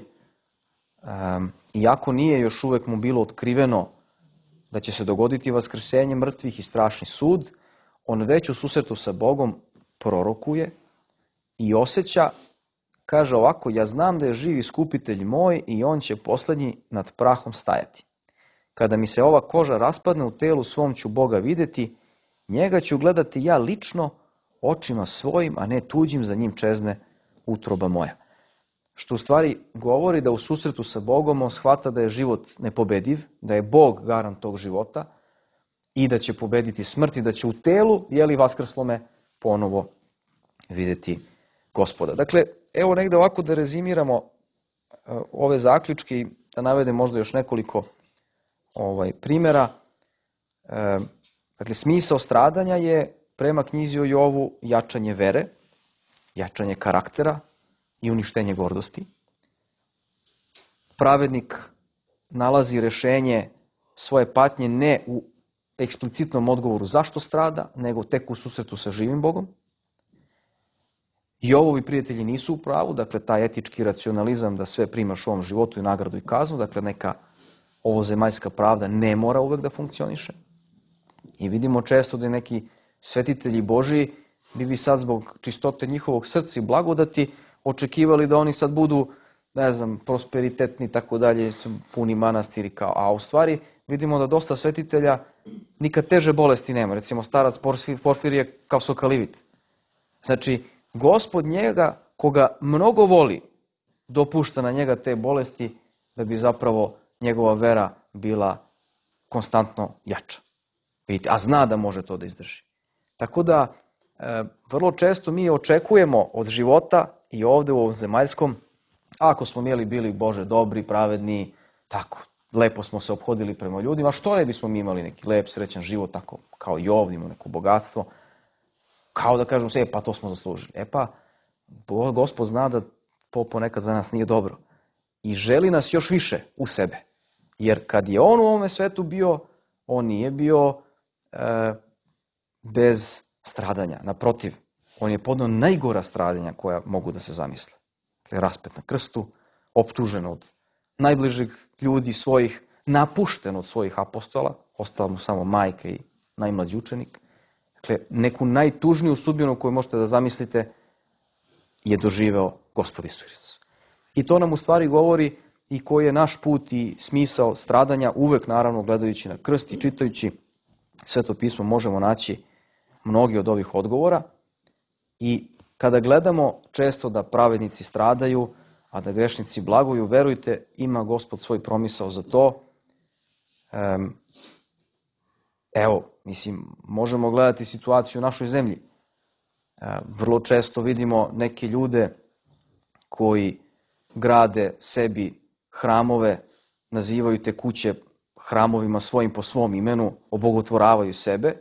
iako nije još uvek mu bilo otkriveno da će se dogoditi vaskrsenje mrtvih i strašni sud, on već u susretu sa Bogom prorokuje i osjeća, kaže ovako, ja znam da je živ iskupitelj moj i on će poslednji nad prahom stajati. Kada mi se ova koža raspadne u telu svom ću Boga videti, njega ću gledati ja lično očima svojim, a ne tuđim, za njim čezne utroba moja. Što u stvari govori da u susretu sa Bogom on shvata da je život nepobediv, da je Bog garant tog života i da će pobediti smrt i da će u telu, vaskrslome, ponovo videti Gospoda. Dakle, evo negde ovako da rezimiramo ove zaključke i da navedem možda još nekoliko primjera. Dakle, smisao stradanja je prema knjizi o Jovu jačanje vere, jačanje karaktera i uništenje gordosti. Pravednik nalazi rešenje svoje patnje ne u eksplicitnom odgovoru zašto strada, nego tek u susretu sa živim Bogom. Jovovi prijatelji nisu u pravu, dakle taj etički racionalizam da sve primaš u ovom životu i nagradu i kaznu, dakle neka ovozemaljska pravda ne mora uvek da funkcioniše. I vidimo često da neki svetitelji Božiji bi sad zbog čistote njihovog srca i blagodati očekivali da oni sad budu, prosperitetni i tako dalje, puni manastiri kao, a u stvari vidimo da dosta svetitelja nikad teže bolesti nema. Recimo starac Porfirije kao sokalivit. Znači, Gospod njega, koga mnogo voli, dopušta na njega te bolesti da bi zapravo njegova vera bila konstantno jača. Vidite, a zna da može to da izdrži. Tako da, vrlo često mi očekujemo od života i ovde u ovom zemaljskom, ako smo bili Bože dobri, pravedni, tako, lepo smo se ophodili prema ljudima, što ne bismo mi imali neki lep, srećan život, tako kao i ovdje, imamo neko bogatstvo, kao da kažemo se, pa to smo zaslužili. Pa, Gospod zna da to ponekad za nas nije dobro i želi nas još više u sebe. Jer kad je on u ovome svetu bio, on nije bio bez stradanja. Naprotiv, on je podneo najgora stradanja koja mogu da se zamisle. Raspet na krstu, optužen od najbližih ljudi svojih, napušten od svojih apostola, ostala mu samo majka i najmlađi učenik. Dakle, neku najtužniju sudbinu koju možete da zamislite je doživeo Gospod Isus Hristos. I to nam u stvari govori i koji je naš put i smisao stradanja, uvek naravno gledajući na krst i čitajući Sveto pismo možemo naći mnogi od ovih odgovora. I kada gledamo često da pravednici stradaju, a da grešnici blaguju, verujte, ima Gospod svoj promisao za to. Možemo gledati situaciju u našoj zemlji. Vrlo često vidimo neke ljude koji grade sebi hramove, nazivaju te kuće hramovima svojim po svom imenu, obogotvoravaju sebe,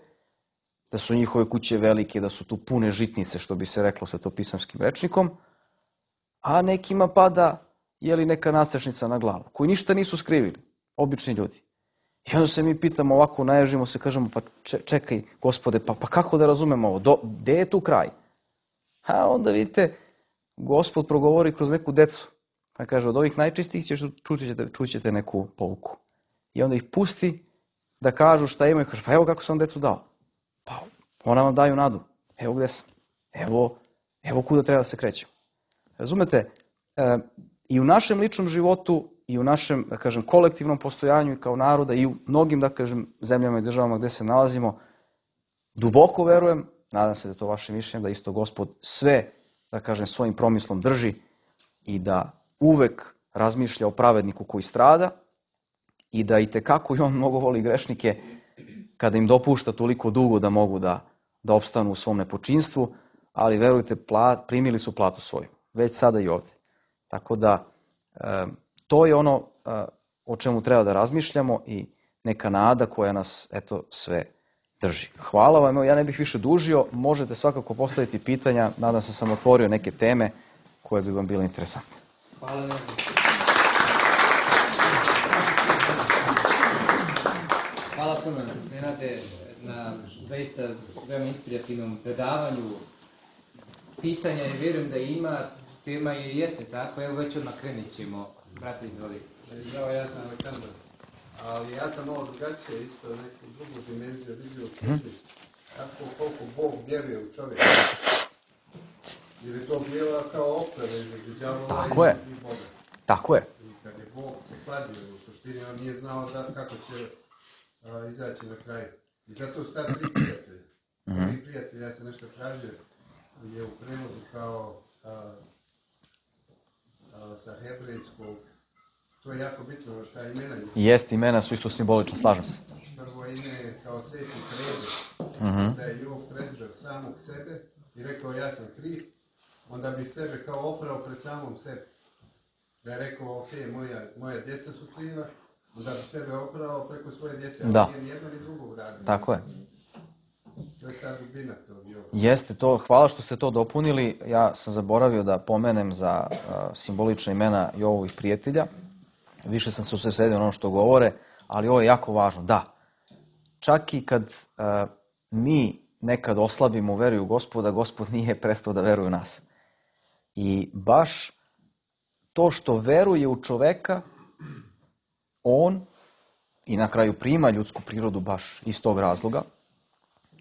da su njihove kuće velike, da su tu pune žitnice, što bi se reklo svetopisamskim rečnikom, a nekima pada neka nastrešnica na glavu, koji ništa nisu skrivili, obični ljudi. I onda se mi pitamo ovako, naježimo se, kažemo, pa čekaj, Gospode, pa kako da razumemo ovo, gde je tu kraj? A onda vidite, Gospod progovori kroz neku decu, pa kaže, od ovih najčistijih čućete neku pouku. I onda ih pusti da kažu šta imaju, kaže, pa evo kako sam decu dao. Pa ona vam daju nadu, evo gde sam, evo kuda treba da se krećemo. Razumete, i u našem ličnom životu, i u našem, da kažem, kolektivnom postojanju i kao naroda i u mnogim, da kažem, zemljama i državama gde se nalazimo, duboko verujem, nadam se da je to vaše mišljenje, da isto Gospod sve, da kažem, svojim promislom drži i da uvek razmišlja o pravedniku koji strada i da itekako i on mnogo voli grešnike kada im dopušta toliko dugo da mogu da opstanu u svom nepočinstvu, ali verujte, primili su platu svoju, već sada i ovde. Tako da to je ono o čemu treba da razmišljamo i neka nada koja nas sve drži. Hvala vam, ja ne bih više dužio, možete svakako postaviti pitanja, nadam se sam otvorio neke teme koje bi vam bile interesantne. Hvala vam. Hvala puno, Nenade, na zaista veoma inspirativnom predavanju. Pitanja i vjerujem da ima, tema i jeste tako, evo već odmah krenit ćemo. Brate, izvoli. Zdravo, ja sam Aleksandar, ali ja sam ovo drugačije, isto neku drugu dimenziju vidio koliko Bog vjeruje u čovjeka. Jer je to bila kao oprava između đavola i Boga. Tako je. I kad je Bog se kladio, u suštini on nije znao kako će izaći na kraju. I zato su ta tri prijatelja. Tri prijatelja, ja sam nešto tražio, je u prevodu kao sa hebrejskog. To je jako bitno, ta imena. Jeste, imena su isto simbolična, slažem se. Prvo ime je kao sveti Krede, da je Jov prezreo samog sebe i rekao ja sam kriv, onda bi sebe kao oprao pred samom sebe. Da je rekao, ok, moja djeca su kriva, onda bi sebe oprao preko svoje djece, ali nije ni jedno ni drugo uradio. Tako je. To je ta dubina tog Jova. Jeste to, hvala što ste to dopunili. Ja sam zaboravio da pomenem za simbolična imena Jovovih prijatelja. Više sam se usredsredio na ono što govore, ali ovo je jako važno. Da, čak i kad mi nekad oslabimo u veru u Gospoda, Gospod nije prestao da veruje u nas. I baš to što veruje u čoveka, on i na kraju prima ljudsku prirodu baš iz tog razloga.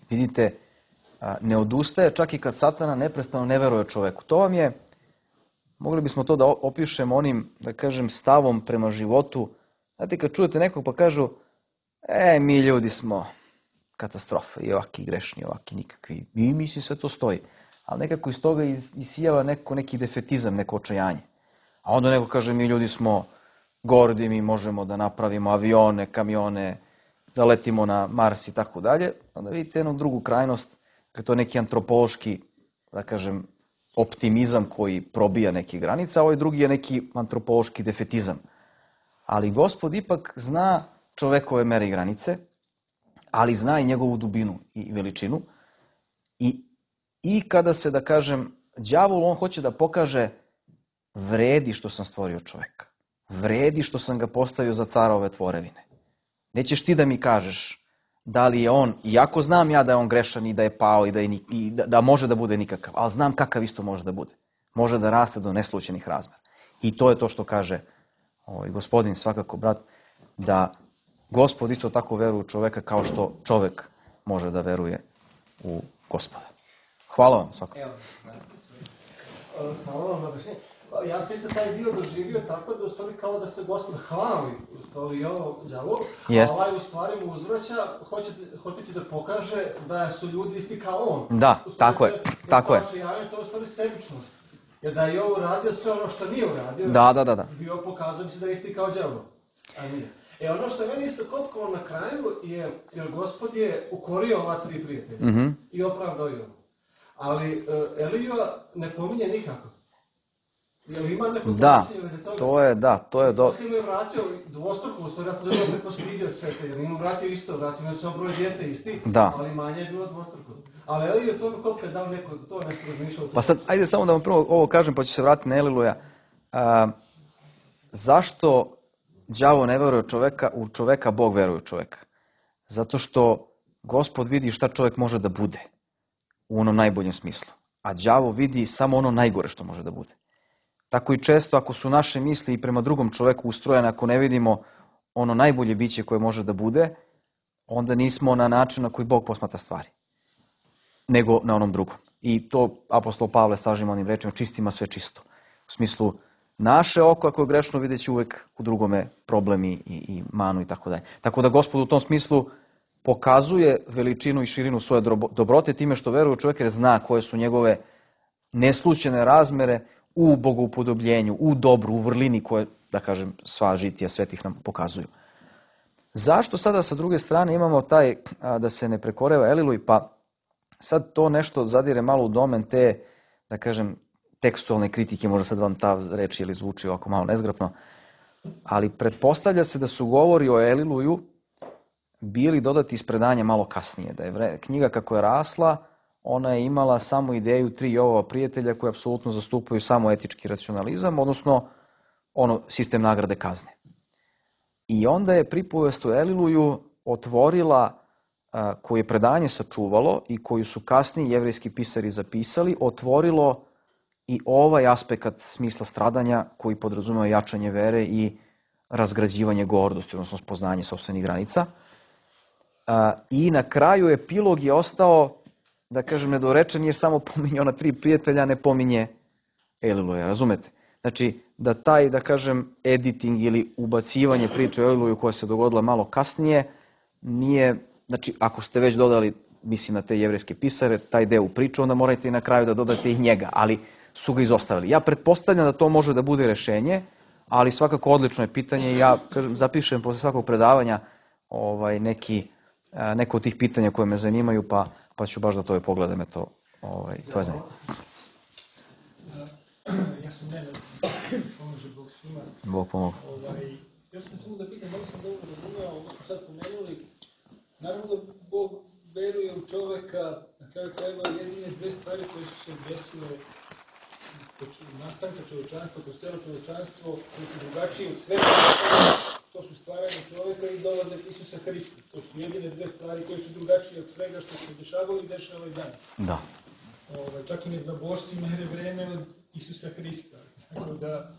Vidite, ne odustaje čak i kad Satana neprestano ne veruje čoveku. To vam je, mogli bismo to da opišemo onim, da kažem, stavom prema životu. Znate, kad čujete nekog pa kažu, mi ljudi smo katastrofa, i ovaki grešni, ovaki nikakvi. I mislim sve to stoji. Ali nekako iz toga isijava neki defetizam, neko očajanje. A onda neko kaže, mi ljudi smo gordi, mi možemo da napravimo avione, kamione, da letimo na Mars i tako dalje. Onda vidite jednu drugu krajnost, kad to je neki antropološki, da kažem, optimizam koji probija neke granice, a ovaj drugi je neki antropološki defetizam. Ali Gospod ipak zna čovekove mere i granice, ali zna i njegovu dubinu i veličinu. I kada se, da kažem, đavol, on hoće da pokaže vredi što sam stvorio čoveka. Vredi što sam ga postavio za cara ove tvorevine. Nećeš ti da mi kažeš da li je on, iako znam ja da je on grešan i da je pao i da može da bude nikakav, ali znam kakav isto može da bude. Može da raste do neslućenih razmera. I to je to što kaže gospodin, svakako, brat, da Gospod isto tako veruje u čoveka kao što čovek može da veruje u Gospoda. Hvala vam svakako. Hvala vam na objašnjenju. Ja sam isto taj dio doživio tako da u stvari kao da ste Gospod hvali u stvari ovo đavolu, a ovaj u stvari mu uzvraća, hoćeći da pokaže da su ljudi isti kao on. Da, tako je. Tako je. To je u stvari sebičnost. Jer da je ovo uradio sve ono što nije uradio, bio pokazao bi se da je isti kao đavol. A nije. Ono što je meni isto kopkovalo na kraju je, jer Gospod je ukorio ova tri prijatelja i opravdao je ovo. Ali Elija ne pominje nikako. Jel ima neko značenje veze toga? To je dobro. Poslije mu je vratio dvostruku, u stvari ako da je neko svidio sve te, jer mu vratio isto, vratio je samo broj djece isti, ali manje je bilo dvostruko. Ali Eliju je to koliko je dao neko, to je nešto razmišljao. Pa sad, ajde samo da vam prvo ovo kažem, pa ću se vratiti na Eliluja. Zašto đavo ne veruje u čoveka, Bog veruje u čoveka? Zato što Gospod vidi šta čovek može da bude u onom najboljem smislu, a đavo vidi samo ono najgore što može da bude. Tako i često ako su naše misli i prema drugom čoveku ustrojene, ako ne vidimo ono najbolje biće koje može da bude, onda nismo na način na koji Bog posmatra stvari, nego na onom drugom. I to apostol Pavle sažima onim rečima, čistima sve čisto. U smislu, naše oko ako je grešno vidjet će uvek u drugome problemi i manu i tako dalje. Tako da Gospod u tom smislu pokazuje veličinu i širinu svoje dobrote time što veruje u čovjeka jer zna koje su njegove neslućene razmere u bogoupodobljenju, u dobru, u vrlini koje, da kažem, sva žitija svetih nam pokazuju. Zašto sada sa druge strane imamo taj da se ne prekoreva Eliluj? Pa sad to nešto zadire malo u domen te, da kažem, tekstualne kritike, možda sad vam ta reč ili zvuči ovako malo nezgrapno, ali pretpostavlja se da su govori o Eliluju bili dodati iz predanja malo kasnije, da je knjiga kako je rasla, ona je imala samo ideju 3 Jovova prijatelja koji apsolutno zastupaju samo etički racionalizam, odnosno sistem nagrade kazne. I onda je pripovest o Eliluju otvorila, koju je predanje sačuvalo i koju su kasniji jevrejski pisari zapisali, otvorilo i ovaj aspekt smisla stradanja koji podrazumeva jačanje vere i razgrađivanje gordosti, odnosno spoznanje sopstvenih granica. I na kraju epilog je ostao, da kažem, nedorečen, jer samo pominje ona 3 prijatelja, ne pominje Eliluja, razumete? Znači, da taj, da kažem, editing ili ubacivanje priče o Eliluju koja se dogodila malo kasnije, nije, znači, ako ste već dodali, mislim na te jevrejske pisare, taj deo u priču, onda morate i na kraju da dodate i njega, ali su ga izostavili. Ja pretpostavljam da to može da bude rešenje, ali svakako odlično je pitanje i ja, kažem, zapišem posle svakog predavanja neko od tih pitanja koje me zanimaju, pa ću baš da to pogledam, to je zanimljivo. Ja sam Nenad, pomože Bog svima. Bog pomogu. Ja sam samo da pitam, da li sam dobro razumio, ovo smo sad pomenuli, naravno da Bog veruje u čoveka, na kraju krajeva jedine 2 stvari koje su se desile nastanka čovečanstva, kroz celo čovečanstvo, koje su drugačije od svega, to su stvaranje čoveka i dolazak Isusa Hrista. To su jedine 2 stvari koje su drugačije od svega što se dešavalo i dešava i danas. Da. Čak i neznabošci mere vreme od Isusa Hrista. Tako da,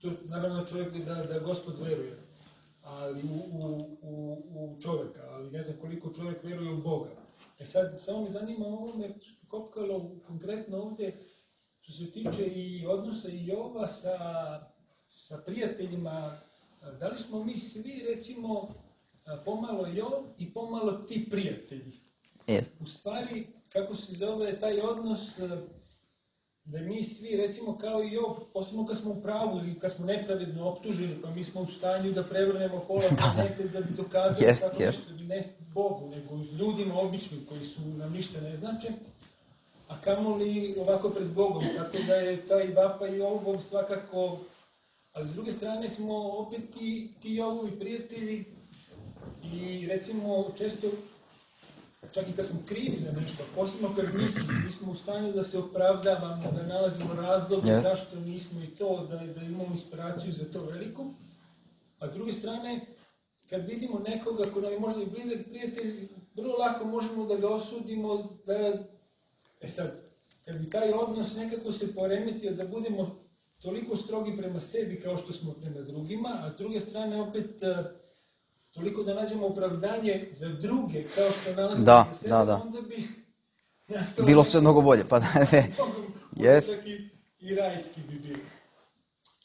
to naravno čovjek da Gospod veruje, ali u čoveka, ali ne znam koliko čovjek veruje u Boga. Sad, samo me zanima, ovo me kopkalo konkretno ovdje, što se tiče i odnosa i Jova sa prijateljima, da li smo mi svi, recimo, pomalo Jov i pomalo ti prijatelji? Jest. U stvari, kako se zove taj odnos, da mi svi, recimo, kao i Jov, posebno kad smo u pravu ili kad smo nepravedno optuženi, pa mi smo u stanju da prevrnemo pola planete da bi dokazali tako nešto, ne Bogu, nego ljudima običnim koji su nam ništa ne znače, a kamoli ovako pred Bogom, tako da je taj vapa i Jovov svakako, ali s druge strane smo opet ti Jovovi prijatelji i recimo često, čak i kad smo krivi za nešto, posebno kad mi smo u stanju da se opravdavamo, da nalazimo razlog zašto nismo i to, da imamo inspiraciju za to veliku, a s druge strane, kad vidimo nekoga ko nam je možda i blizak prijatelj, vrlo lako možemo da ga osudimo, sad, kad bi taj odnos nekako se poremetio da budemo toliko strogi prema sebi kao što smo prema drugima, a s druge strane opet toliko da nađemo opravdanje za druge kao što nalazimo za sebe, onda bi nastalo... Bilo sve mnogo bolje, pa da ne. Jest. I rajski bi bilo.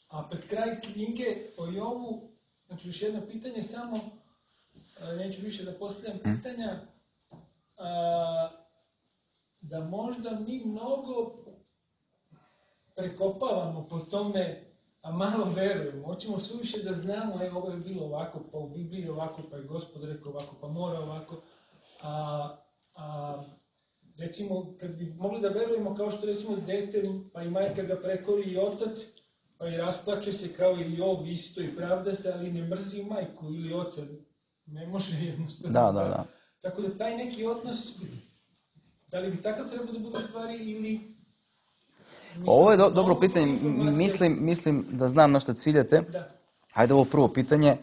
A pred kraj knjige o Jovu, znači još jedno pitanje samo, neću više da postavljam pitanja, da možda mi mnogo prekopavamo po tome, a malo verujemo. Hoćemo suviše da znamo, ovo je bilo ovako, pa u Bibliji je ovako, pa je Gospod rekao ovako, pa mora ovako. Recimo, kad bi mogli da verujemo kao što recimo dete, pa i majka ga prekori i otac, pa i rasplače se kao i Jov isto i pravda se, ali ne mrzi majku ili oca. Ne može jednostavno. Da. Tako da taj neki odnos, da li bi takav trebao da bude u stvari ili... Ovo je dobro pitanje. Mislim da znam na što ciljate. Hajde ovo prvo pitanje.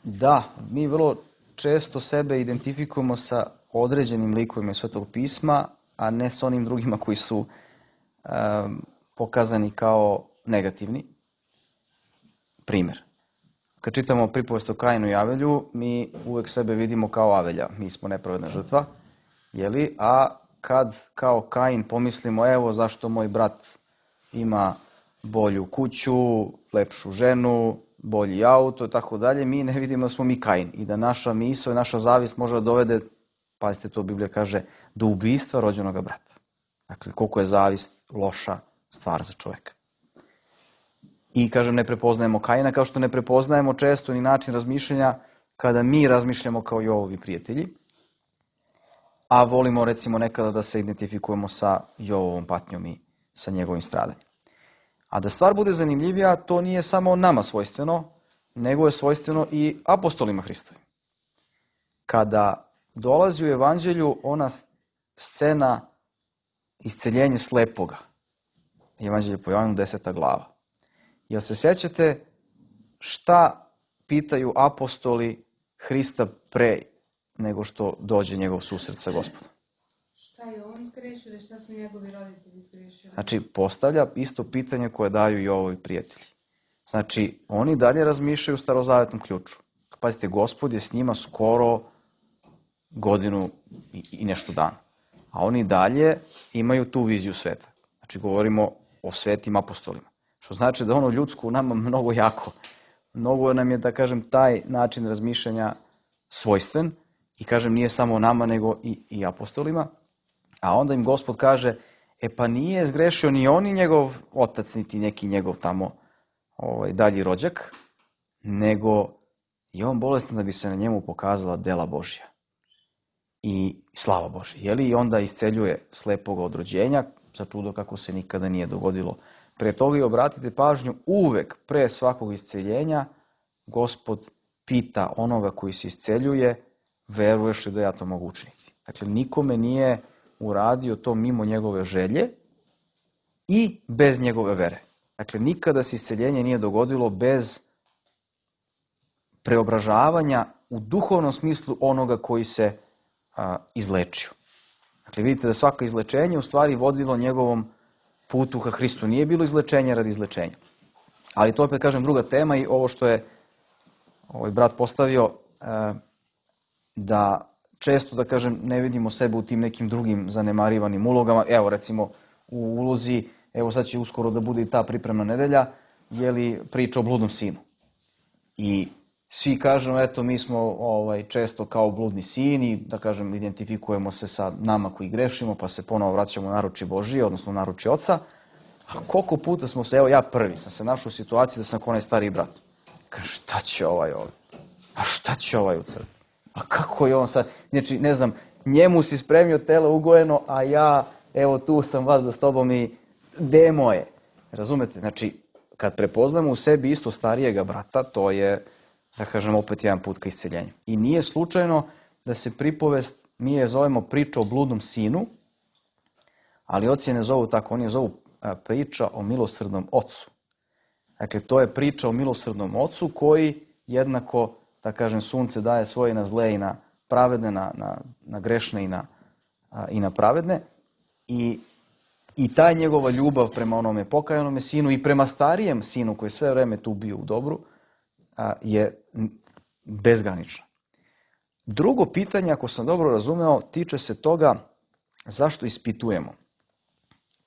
Da, mi vrlo često sebe identifikujemo sa određenim likovima iz Svetog pisma, a ne sa onim drugima koji su pokazani kao negativni. Primjer. Kad čitamo pripovest o Kainu i Avelju, mi uvek sebe vidimo kao Avelja. Mi smo nepravedna žrtva. A kad kao Kain pomislimo, evo zašto moj brat ima bolju kuću, lepšu ženu, bolji auto i tako dalje, mi ne vidimo da smo mi Kain i da naša misao i naša zavist može da dovede, pazite to Biblija kaže, do ubistva rođenoga brata. Dakle, koliko je zavist loša stvar za čoveka. I, kažem, ne prepoznajemo Kaina, kao što ne prepoznajemo često ni način razmišljanja kada mi razmišljamo kao Jovovi prijatelji, a volimo, recimo, nekada da se identifikujemo sa Jovovom patnjom i sa njegovim stradanjem. A da stvar bude zanimljivija, to nije samo nama svojstveno, nego je svojstveno i apostolima Hristovim. Kada dolazi u evanđelju ona scena isceljenje slepoga, evanđelje po Jovanu 10. glava. Jel se sećate šta pitaju apostoli Hrista pre nego što dođe njegov susret sa Gospodom? Šta je on zgrešio ili šta su njegovi roditelji zgrešili? Znači, postavlja isto pitanje koje daju i ovovi prijatelji. Znači, oni dalje razmišljaju u starozavetnom ključu. Pazite, Gospod je s njima skoro godinu i nešto dana. A oni dalje imaju tu viziju sveta. Znači, govorimo o svetim apostolima. Što znači da ono ljudsko u nama mnogo jako. Mnogo nam je, da kažem, taj način razmišljanja svojstven. I kažem, nije samo nama, nego i apostolima. A onda im Gospod kaže, pa nije zgrešio ni on ni njegov otac, niti neki njegov tamo dalji rođak, nego je on bolestan da bi se na njemu pokazala dela Božja i slava Božja. I onda isceljuje slepoga od rođenja, za čudo kako se nikada nije dogodilo. Pre toga i obratite pažnju, uvek pre svakog isceljenja Gospod pita onoga koji se isceljuje, veruješ li da ja to mogu učiniti? Dakle, nikome nije uradio to mimo njegove želje i bez njegove vere. Dakle, nikada se isceljenje nije dogodilo bez preobražavanja u duhovnom smislu onoga koji se izlečio. Dakle, vidite da svako izlečenje u stvari vodilo njegovom putu ka Hristu. Nije bilo izlečenja radi izlečenja. Ali to opet, kažem, druga tema i ovo što je ovaj brat postavio, da često, da kažem, ne vidimo sebe u tim nekim drugim zanemarivanim ulogama. Evo, recimo, u ulozi, evo sad će uskoro da bude i ta pripremna nedelja, priča o bludnom sinu. I svi kažemo, eto, mi smo često kao bludni sin i, da kažem, identifikujemo se sa nama koji grešimo, pa se ponovo vraćamo u naručje Božije, odnosno u naručje Oca. A koliko puta smo se, evo ja prvi sam se našao u situaciji da sam kao onaj stariji brat. Kažem, šta će ovaj ovdje? A šta će ovaj u crkvi? A kako je on sad? Znači, ne znam, njemu si spremio telo ugojeno, a ja, evo tu sam vas da s tobom i gde je moje? Razumete? Znači, kad prepoznamo u sebi isto starijega brata, to je, da kažem, opet jedan put ka isceljenju. I nije slučajno da se pripovest, mi je zovemo priča o bludnom sinu, ali oci je ne zovu tako, oni je zovu priča o milosrdnom ocu. Dakle, to je priča o milosrdnom ocu koji jednako, da kažem, sunce daje svoje na zle i na pravedne, na grešne i na pravedne. I ta njegova ljubav prema onome pokajanome sinu i prema starijem sinu koji sve vreme tu bio u dobru je bezgranična. Drugo pitanje, ako sam dobro razumeo, tiče se toga zašto ispitujemo.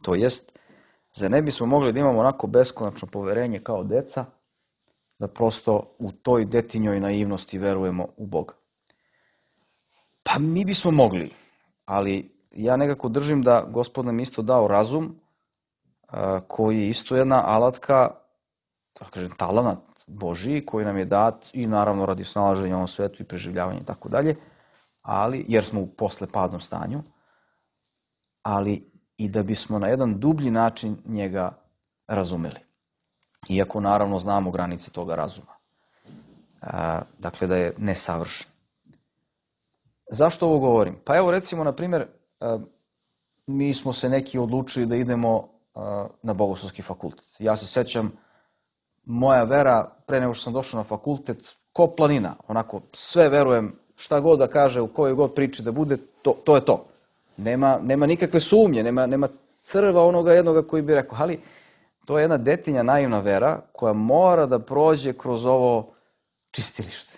To jest, zar ne bismo mogli da imamo onako beskonačno poverenje kao deca, da prosto u toj detinjoj naivnosti verujemo u Boga? Pa mi bismo mogli, ali ja nekako držim da Gospod nam isto dao razum, koji je isto jedna alatka, da kažem, talenat Božiji, koji nam je dat i naravno radi snalaženja u ovom svetu i preživljavanja i tako dalje, ali, jer smo u poslepadnom stanju, ali i da bismo na jedan dublji način njega razumeli. Iako naravno znamo granice toga razuma. Dakle, da je nesavršen. Zašto ovo govorim? Pa evo recimo, na primjer, mi smo se neki odlučili da idemo na Bogoslovski fakultet. Ja se sećam, moja vera, pre nego što sam došao na fakultet, ko planina, onako, sve verujem, šta god da kaže, u kojoj god priči da bude, to je to. Nema nikakve sumnje, nema crva onoga jednoga koji bi rekao, ali to je jedna detinja naivna vera koja mora da prođe kroz ovo čistilište,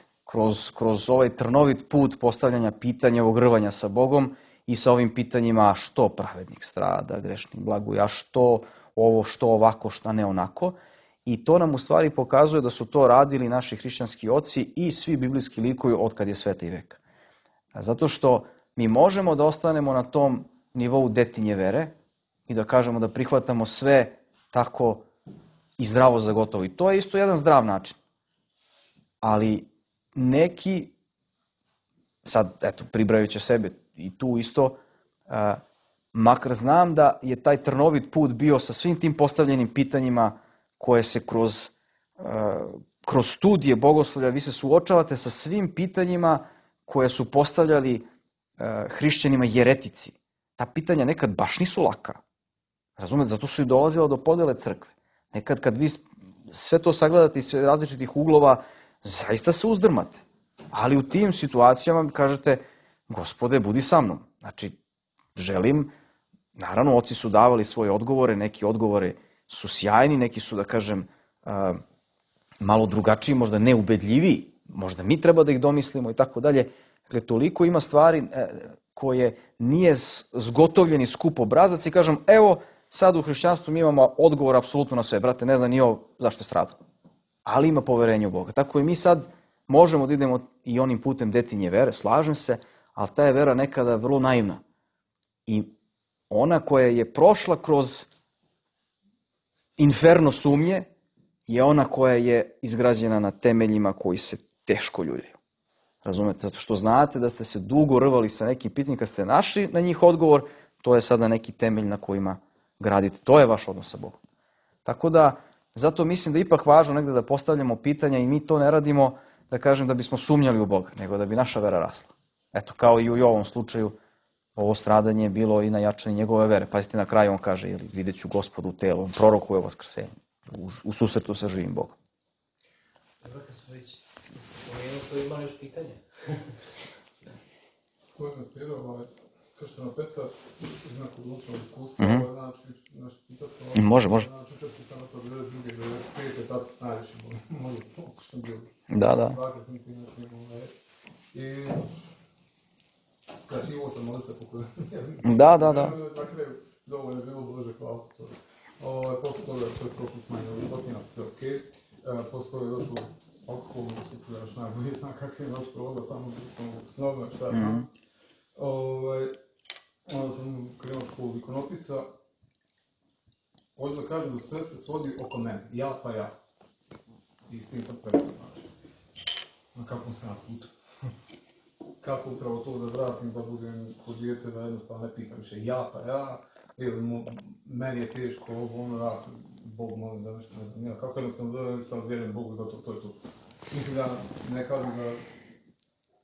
kroz ovaj trnovit put postavljanja pitanja, ogrvanja sa Bogom i sa ovim pitanjima što pravednik strada, grešnik blaguje, a što ovo, što ovako, šta ne onako. I to nam u stvari pokazuje da su to radili naši hrišćanski oci i svi biblijski likovi od kad je sveta i veka. Zato što mi možemo da ostanemo na tom nivou detinje vere, i da kažemo da prihvatamo sve tako i zdravo za gotovo. I to je isto jedan zdrav način. Ali neki, sad, eto, pribrajući sebe i tu isto, makar znam da je taj trnovit put bio sa svim tim postavljenim pitanjima koje se kroz studije bogoslovlja, vi se suočavate sa svim pitanjima koje su postavljali hrišćanima jeretici. Ta pitanja nekad baš nisu laka. Razumete, zato su i dolazila do podele crkve. Nekad kad vi sve to sagledate iz različitih uglova, zaista se uzdrmate. Ali u tim situacijama kažete, Gospode, budi sa mnom. Znači, želim, naravno, oci su davali svoje odgovore, neki odgovore su sjajni, neki su, da kažem, malo drugačiji, možda neubedljiviji, možda mi treba da ih domislimo i tako dalje. Dakle, toliko ima stvari koje nije zgotovljeni skup obrazac i kažem, evo, sad u hrišćanstvu mi imamo odgovor apsolutno na sve. Brate, ne zna ni ovo zašto je stradao. Ali ima poverenje u Boga. Tako i mi sad možemo da idemo i onim putem detinje vere, slažem se, ali ta je vera nekada vrlo naivna. I ona koja je prošla kroz inferno sumnje je ona koja je izgrađena na temeljima koji se teško ljuljaju. Razumete? Zato što znate da ste se dugo rvali sa nekim pitanjem, kad ste našli na njih odgovor, to je sada neki temelj na kojima gradite. To je vaš odnos sa Bogom. Tako da, zato mislim da je ipak važno negde da postavljamo pitanja i mi to ne radimo, da kažem, da bismo sumnjali u Boga, nego da bi naša vera rasla. Eto, kao i u ovom slučaju, ovo stradanje je bilo i na jačanje njegove vere. Pazite, na kraju on kaže, vidjet ću Gospodu u telu, on prorokuje o vaskrsenju, u susretu sa živim Bogom. Dobro, kad smo već spomenuli, to ima još pitanje. Ko je napirao, krštena Petar, znak odlučnog iskustva, znači, nešto pitati, može. Znači, učestvo sam na to 92. tad se najviše može, ako sam bio. Da. Svakak niti i skraćivo sam molite pokoj. Da. Na kraju, dovoljno je bilo, Bože, hvala to. Posle toga, to je prošlo smanje, dotina se okej. Posle toga je došlo alkoholno, super, još najbolje zna kak je noć provoda, samo snobno, šta je znam. Onda sam krenuo školu ikonopisa. Ovdje da kažem da sve se svodi oko mene, ja pa ja. I s tim sam preko, znači. Na kakvom sam putu. Kako upravo to da vratim, da budem kod dijete, da jednostavno ne pitam više ja pa ja, ili meni je teško ovo, ono, ja sam Bog molim da nešto ne znam, ja, kako jednostavno da jednostavno vjerujem Bogu da to je to. Mislim da ne kažem da,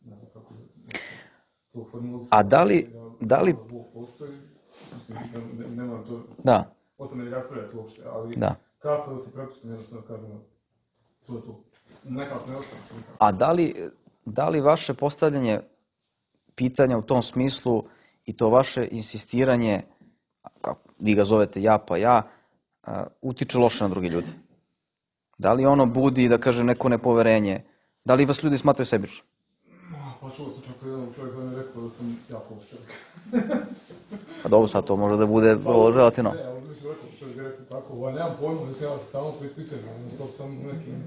ne znam kako to formulisati. A da li... Bog postoji, mislim, ne moram to, o tome ne raspravljati uopšte, ali kako da se prepustim jednostavno kažem, to je to. Nekako ne ostane se nikako. A da li vaše postavljanje pitanja u tom smislu i to vaše insistiranje, kako vi ga zovete ja pa ja, utiče loše na drugi ljudi? Da li ono budi, da kažem, neko nepoverenje? Da li vas ljudi smatraju sebično? Pa čuo sam čak jednog čovjeka da mi je rekao da sam jako loš čovjek. Pa dobro, sad to može da bude vrlo relativno. Ne, ali mi su rekao, čovjek je rekao tako, nemam pojma da se ja stalno preispitujem, stop sam nekim,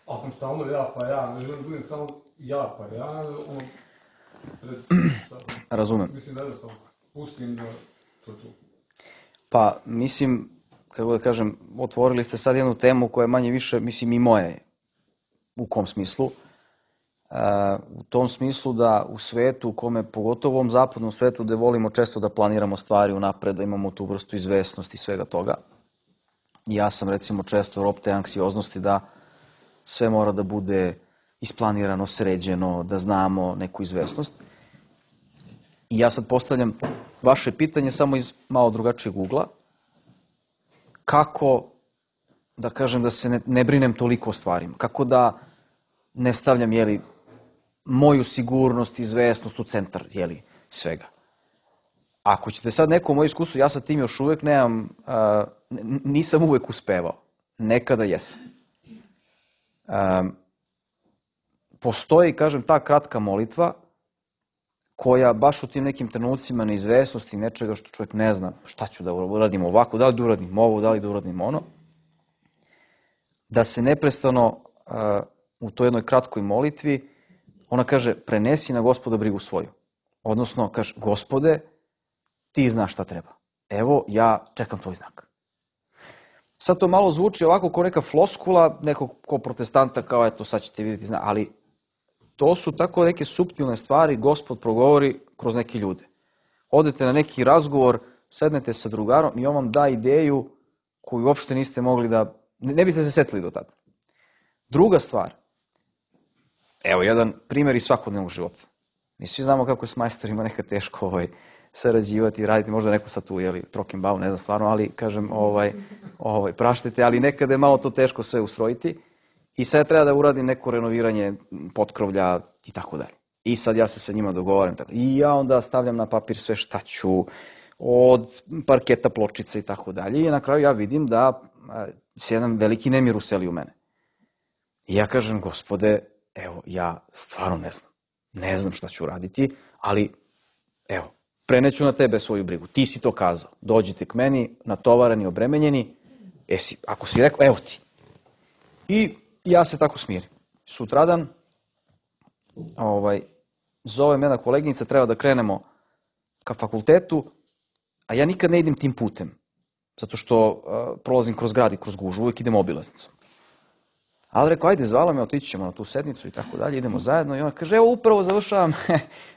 ali sam stalno ja pa ja, ne želim da budem samo ja pa ja, ono, Razumem. Mislim da jednostavno pustim da to je to. Pa, mislim, kako da kažem, otvorili ste sad jednu temu koja je manje više, mislim, i moja je. U kom smislu? U tom smislu da u svetu, u kome, pogotovo u ovom zapadnom svetu, gde volimo često da planiramo stvari unapred, da imamo tu vrstu izvesnosti i svega toga. Ja sam, recimo, često rob te anksioznosti da sve mora da bude isplanirano, sređeno, da znamo neku izvesnost. I ja sad postavljam vaše pitanje samo iz malo drugačijeg ugla. Kako, da kažem, da se ne brinem toliko o stvarima? Kako da ne stavljam, moju sigurnost, izvesnost u centar, svega? Ako ćete sad neko moje iskustvo, ja sa tim još uvek nemam, nisam uvek uspevao. Nekada jesam. Postoji, kažem, ta kratka molitva koja baš u tim nekim trenucima neizvesnosti, nečega što čovjek ne zna šta ću da uradim ovako, da li da uradim ovo, da li da uradim ono, da se neprestano u toj jednoj kratkoj molitvi, ona kaže, prenesi na Gospoda brigu svoju. Odnosno, kaže, Gospode, ti znaš šta treba. Evo, ja čekam tvoj znak. Sad to malo zvuči ovako kao neka floskula, nekog ko protestanta, kao eto, sad ćete vidjeti znak, ali to su tako neke suptilne stvari, Gospod progovori kroz neke ljude. Odete na neki razgovor, sednete sa drugarom i on vam da ideju koju uopšte niste mogli da, ne biste se setili do tada. Druga stvar, evo jedan primjer iz svakodnevnog života. Mi svi znamo kako je s majstorima nekad teško sarađivati, raditi, možda neko sad tu, trokim bavu, ne znam stvarno, ali kažem, praštite, ali nekada je malo to teško sve ustrojiti i sad treba da uradim neko renoviranje potkrovlja i tako dalje. I sad ja se sa njima dogovaram i ja onda stavljam na papir sve šta ću, od parketa, pločica i tako dalje i na kraju ja vidim da se jedan veliki nemir useli u mene. I ja kažem, Gospode, evo, ja stvarno ne znam šta ću uraditi, ali evo, preneću na tebe svoju brigu. Ti si to kazao. Dođite k meni, natovarani, obremenjeni. Ako si rekao, evo ti. I ja se tako smirim. Sutradan zove me jedna koleginica, treba da krenemo ka fakultetu, a ja nikad ne idem tim putem. Zato što prolazim kroz grad i kroz gužu, uvijek idem obilaznicom. Ali rekao, ajde, zvala me, otići ćemo na tu sednicu i tako dalje, idemo zajedno. I ona kaže, evo, upravo završavam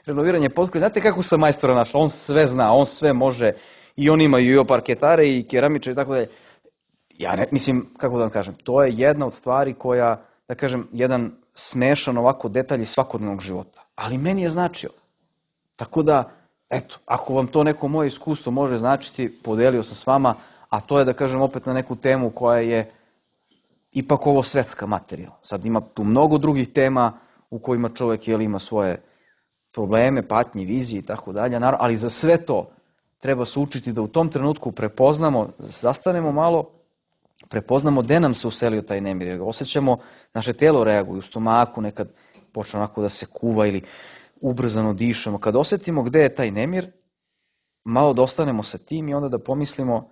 renoviranje potkrovlja. Znate kako sam majstora našla? On sve zna, on sve može. I on ima i parketare i keramiče i tako dalje. Ja ne, mislim, kako da vam kažem, to je jedna od stvari koja, da kažem, jedan smešan ovako detalj iz svakodnevnog života. Ali meni je značio. Tako da, eto, ako vam to neko moje iskustvo može značiti, podelio sam s vama, a to je, da kažem, opet na neku temu koja je ipak ovo svetska materija. Sad ima tu mnogo drugih tema u kojima čovjek ima svoje probleme, patnje, vizije i tako dalje, ali za sve to treba se učiti da u tom trenutku prepoznamo, zastanemo malo, prepoznamo gde nam se uselio taj nemir, jer ga osjećamo, naše telo reaguje u stomaku, nekad počne onako da se kuva ili ubrzano dišemo. Kad osjetimo gde je taj nemir, malo da ostanemo sa tim i onda da pomislimo,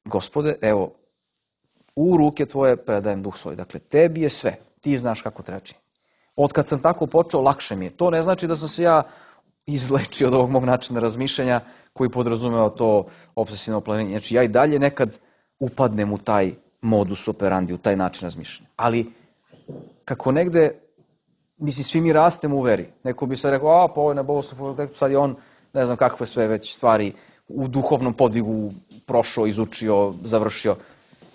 Gospode, evo, u ruke tvoje predajem duh svoj. Dakle, tebi je sve. Ti znaš kako treba činiti. Od kad sam tako počeo, lakše mi je. To ne znači da sam se ja izlečio od ovog mog načina razmišljanja koji podrazumeva to obsesivno planiranje. Znači, ja i dalje nekad upadnem u taj modus operandi, u taj način razmišljanja. Ali, kako negde, mislim, svi mi rastemo u veri. Neko bi se rekao, pa ovo je na Bogoslovnom fakultetu, sad je on, ne znam kakve sve već stvari u duhovnom podvigu prošao, izučio, završio.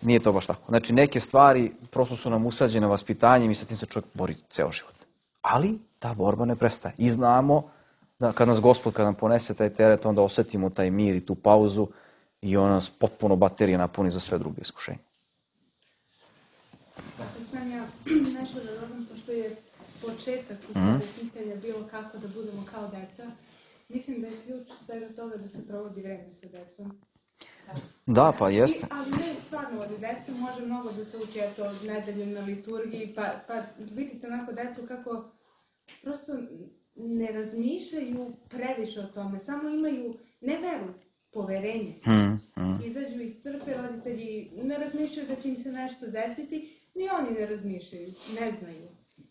Nije to baš tako. Znači, neke stvari prosto su nam usađene vaspitanjem i sa tim se čovjek bori ceo život. Ali ta borba ne prestaje. I znamo da kad nas Gospod, kad nam ponese taj teret, onda osetimo taj mir i tu pauzu i on nas potpuno baterije napuni za sve druge iskušenje. Ako sam ja nešto da dodam, pošto je početak u svega pitanja bilo kako da budemo kao deca, mislim da je ključ svega toga da se provodi vreme sa decom. Da, pa jeste. Ali ne stvarno od dece može mnogo da se uči, eto, nedeljom na liturgiji, pa vidite onako decu kako prosto ne razmišljaju previše o tome, samo imaju, ne veru, poverenje. Izađu iz crkve, roditelji ne razmišljaju da će im se nešto desiti, ni oni ne razmišljaju, ne znaju.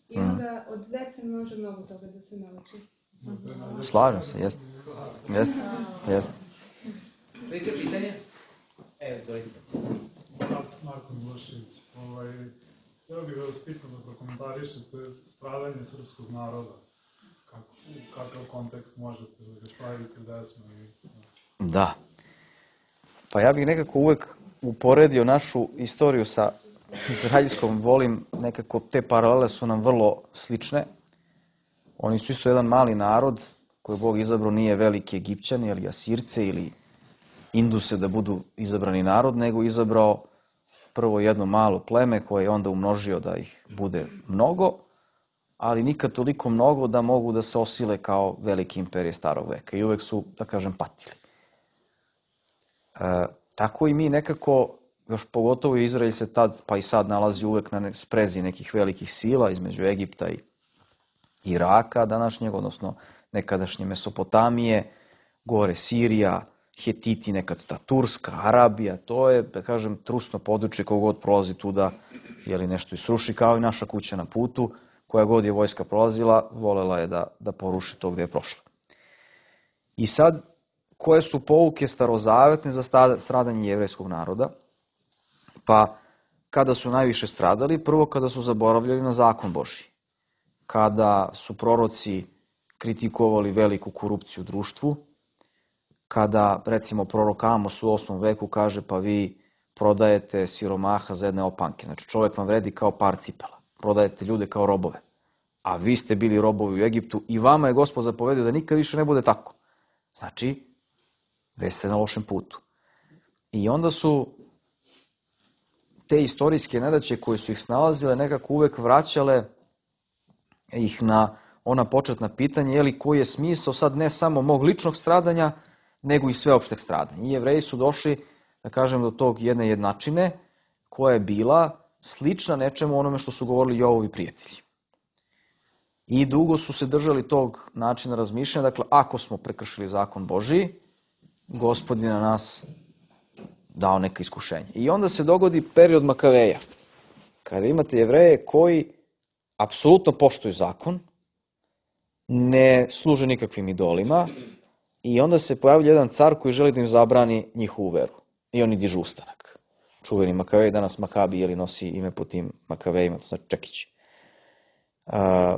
I onda od dece može mnogo toga da se nauči. Slažem se, jeste. Jeste. Sljedeće pitanje? Evo, izvolite. Marko Milošević. Htio bih vas pitam da prokomentarišete stradanje srpskog naroda. Kakav kontekst možete da ga stavite gde smo? Da. Pa ja bih nekako uvek uporedio našu istoriju sa izraelskom. Volim nekako, te paralele su nam vrlo slične. Oni su isto jedan mali narod koji je Bog izabrao, nije veliki Egipćani ili Asirce ili Induse da budu izabrani narod, nego izabrao prvo jedno malo pleme koje je onda umnožio da ih bude mnogo, ali nikad toliko mnogo da mogu da se osile kao velike imperije starog veka i uvek su, da kažem, patili. Tako i mi nekako, još pogotovo Izrael se tad pa i sad nalazi uvek na sprezi nekih velikih sila između Egipta i Iraka današnjeg, odnosno nekadašnje Mesopotamije, gore Sirija, Hetiti, nekad ta Turska, Arabija, to je, da kažem, trusno područje kogod prolazi tu da nešto isruši, kao i naša kuća na putu, koja god je vojska prolazila, volela je da poruši to gde je prošla. I sad, koje su pouke starozavetne za stradanje jevrejskog naroda? Pa, kada su najviše stradali, prvo kada su zaboravljali na zakon Božji, kada su proroci kritikovali veliku korupciju u društvu, kada, recimo, prorok Amos u 8. veku kaže pa vi prodajete siromaha za jedne opanke. Znači, čovjek vam vredi kao par cipela. Prodajete ljude kao robove. A vi ste bili robovi u Egiptu i vama je Gospod zapovedio da nikad više ne bude tako. Znači, već ste na lošem putu. I onda su te istorijske nedaće koje su ih snalazile nekako uvek vraćale ih na ona početna pitanja, koji je smisao sad ne samo mog ličnog stradanja, nego i sveopšteg stradanja. I Jevreji su došli, da kažem, do tog jedne jednačine koja je bila slična nečemu onome što su govorili Jovovi prijatelji. I dugo su se držali tog načina razmišljanja, dakle, ako smo prekršili zakon Božiji, Gospod je na nas dao neka iskušenja. I onda se dogodi period Makaveja, kada imate Jevreje koji apsolutno poštuju zakon, ne služe nikakvim idolima i onda se pojavlja jedan car koji želi da im zabrani njihovu veru. I oni dižu ustanak. Čuveni Makavej, danas Makabi nosi ime po tim Makavejima, to znači Čekići.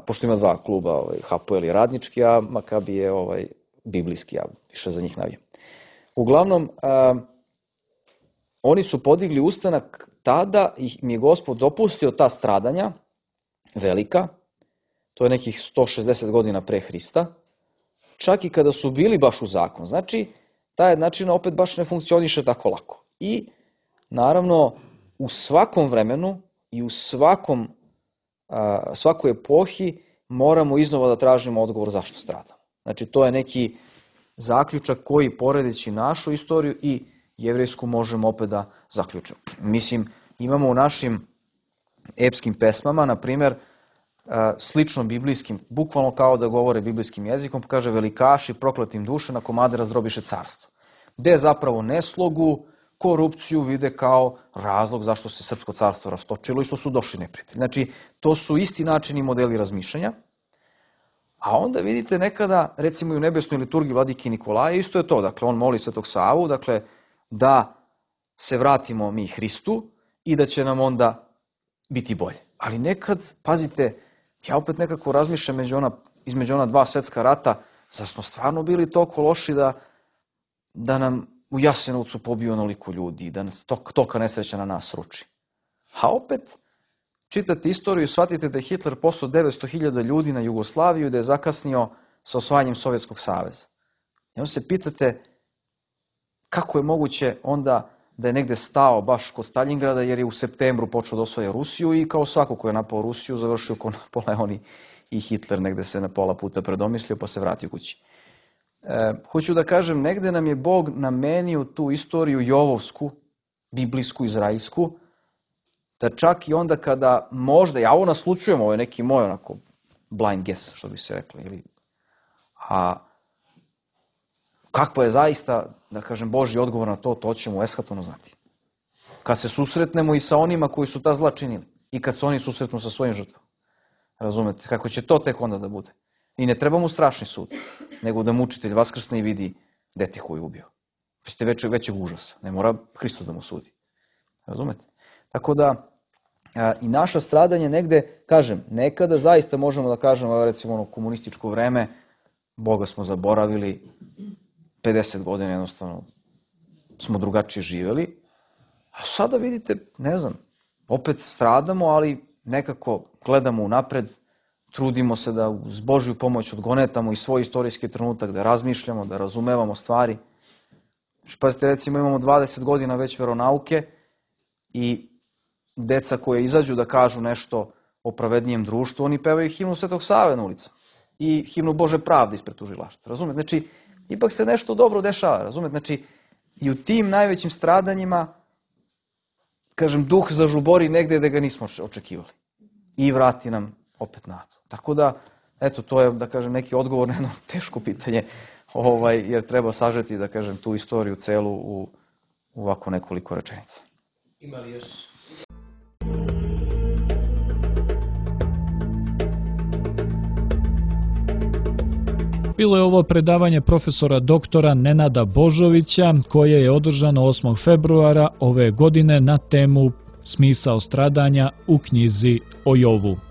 Pošto ima dva kluba, Hapoel je radnički, a Makabi je biblijski, ja više za njih navijam. Uglavnom, oni su podigli ustanak tada i mi je Gospod dopustio ta stradanja, velika, to je nekih 160 godina pre Hrista, čak i kada su bili baš u zakon. Znači, ta jednačina opet baš ne funkcioniše tako lako. I, naravno, u svakom vremenu i u svakoj epohi moramo iznova da tražimo odgovor zašto stradamo. Znači, to je neki zaključak koji, poredeći našu istoriju i jevrejsku, možemo opet da zaključimo. Mislim, imamo u našim epskim pesmama, na primjer, slično biblijskim, bukvalno kao da govore biblijskim jezikom, kaže velikaši prokletim duše na komade razdrobiše carstvo. Gde zapravo neslogu, korupciju vide kao razlog zašto se srpsko carstvo rastočilo i što su došli neprijatelji. Znači, to su isti načini i modeli razmišljanja. A onda vidite nekada, recimo i u nebesnoj liturgiji vladike Nikolaja, isto je to. Dakle, on moli Svetog Savu, dakle, da se vratimo mi Hristu i da će nam onda biti bolje. Ali nekad, pazite, ja opet nekako razmišljam između ona dva svetska rata, zar smo stvarno bili toliko loši da nam u Jasenovcu pobiju onoliko ljudi i da nas toka nesreća na nas ruči. A opet, čitate istoriju i shvatite da je Hitler poslao 900.000 ljudi na Jugoslaviju i da je zakasnio sa osvajanjem Sovjetskog saveza. I onda se pitate kako je moguće onda da je negde stao baš kod Staljingrada jer je u septembru počeo da osvaja Rusiju i kao svako ko je napao Rusiju završio ko Napoleon i Hitler, negde se na pola puta predomislio pa se vratio kući. Hoću da kažem, negde nam je Bog namenio tu istoriju jovovsku, biblijsku, izraelsku, da čak i onda kada možda, ja ovo naslučujem, ovo je neki moj onako blind guess, što bi se rekli, a kakva je zaista, da kažem, Božji odgovor na to ćemo u eshatonu znati. Kad se susretnemo i sa onima koji su ta zla činili i kad se oni susretnu sa svojim žrtvama. Razumete, kako će to tek onda da bude. I ne treba mu strašni sud, nego da mučitelj vaskrsne i vidi dete koju je ubio. Bićete većeg užasa. Ne mora Hristos da mu sudi. Razumete? Tako da i naša stradanje negde, kažem, nekada zaista možemo da kažemo, recimo ono komunističko vreme, Boga smo zaboravili, 50 godina jednostavno smo drugačije živeli, a sada vidite, ne znam, opet stradamo, ali nekako gledamo unapred, trudimo se da uz Božju pomoć odgonetamo i svoj istorijski trenutak, da razmišljamo, da razumevamo stvari. Pazite, recimo imamo 20 godina već veronauke i deca koje izađu da kažu nešto o pravednijem društvu, oni pevaju himnu Svetog Save na ulicama i himnu Bože pravde ispred tužilaštva. Razumete? Znači, ipak se nešto dobro dešava. Razumete? Znači, i u tim najvećim stradanjima, kažem, duh zažubori negde da ga nismo očekivali. I vrati nam opet nadu. Tako da, eto, to je, da kažem, neki odgovor na jedno teško pitanje, jer treba sažeti, da kažem, tu istoriju celu u ovako nekoliko rečenica. Ima li još? Bilo je ovo predavanje profesora doktora Nenada Božovića koje je održano 8. februara ove godine na temu Smisao stradanja u knjizi o Jovu.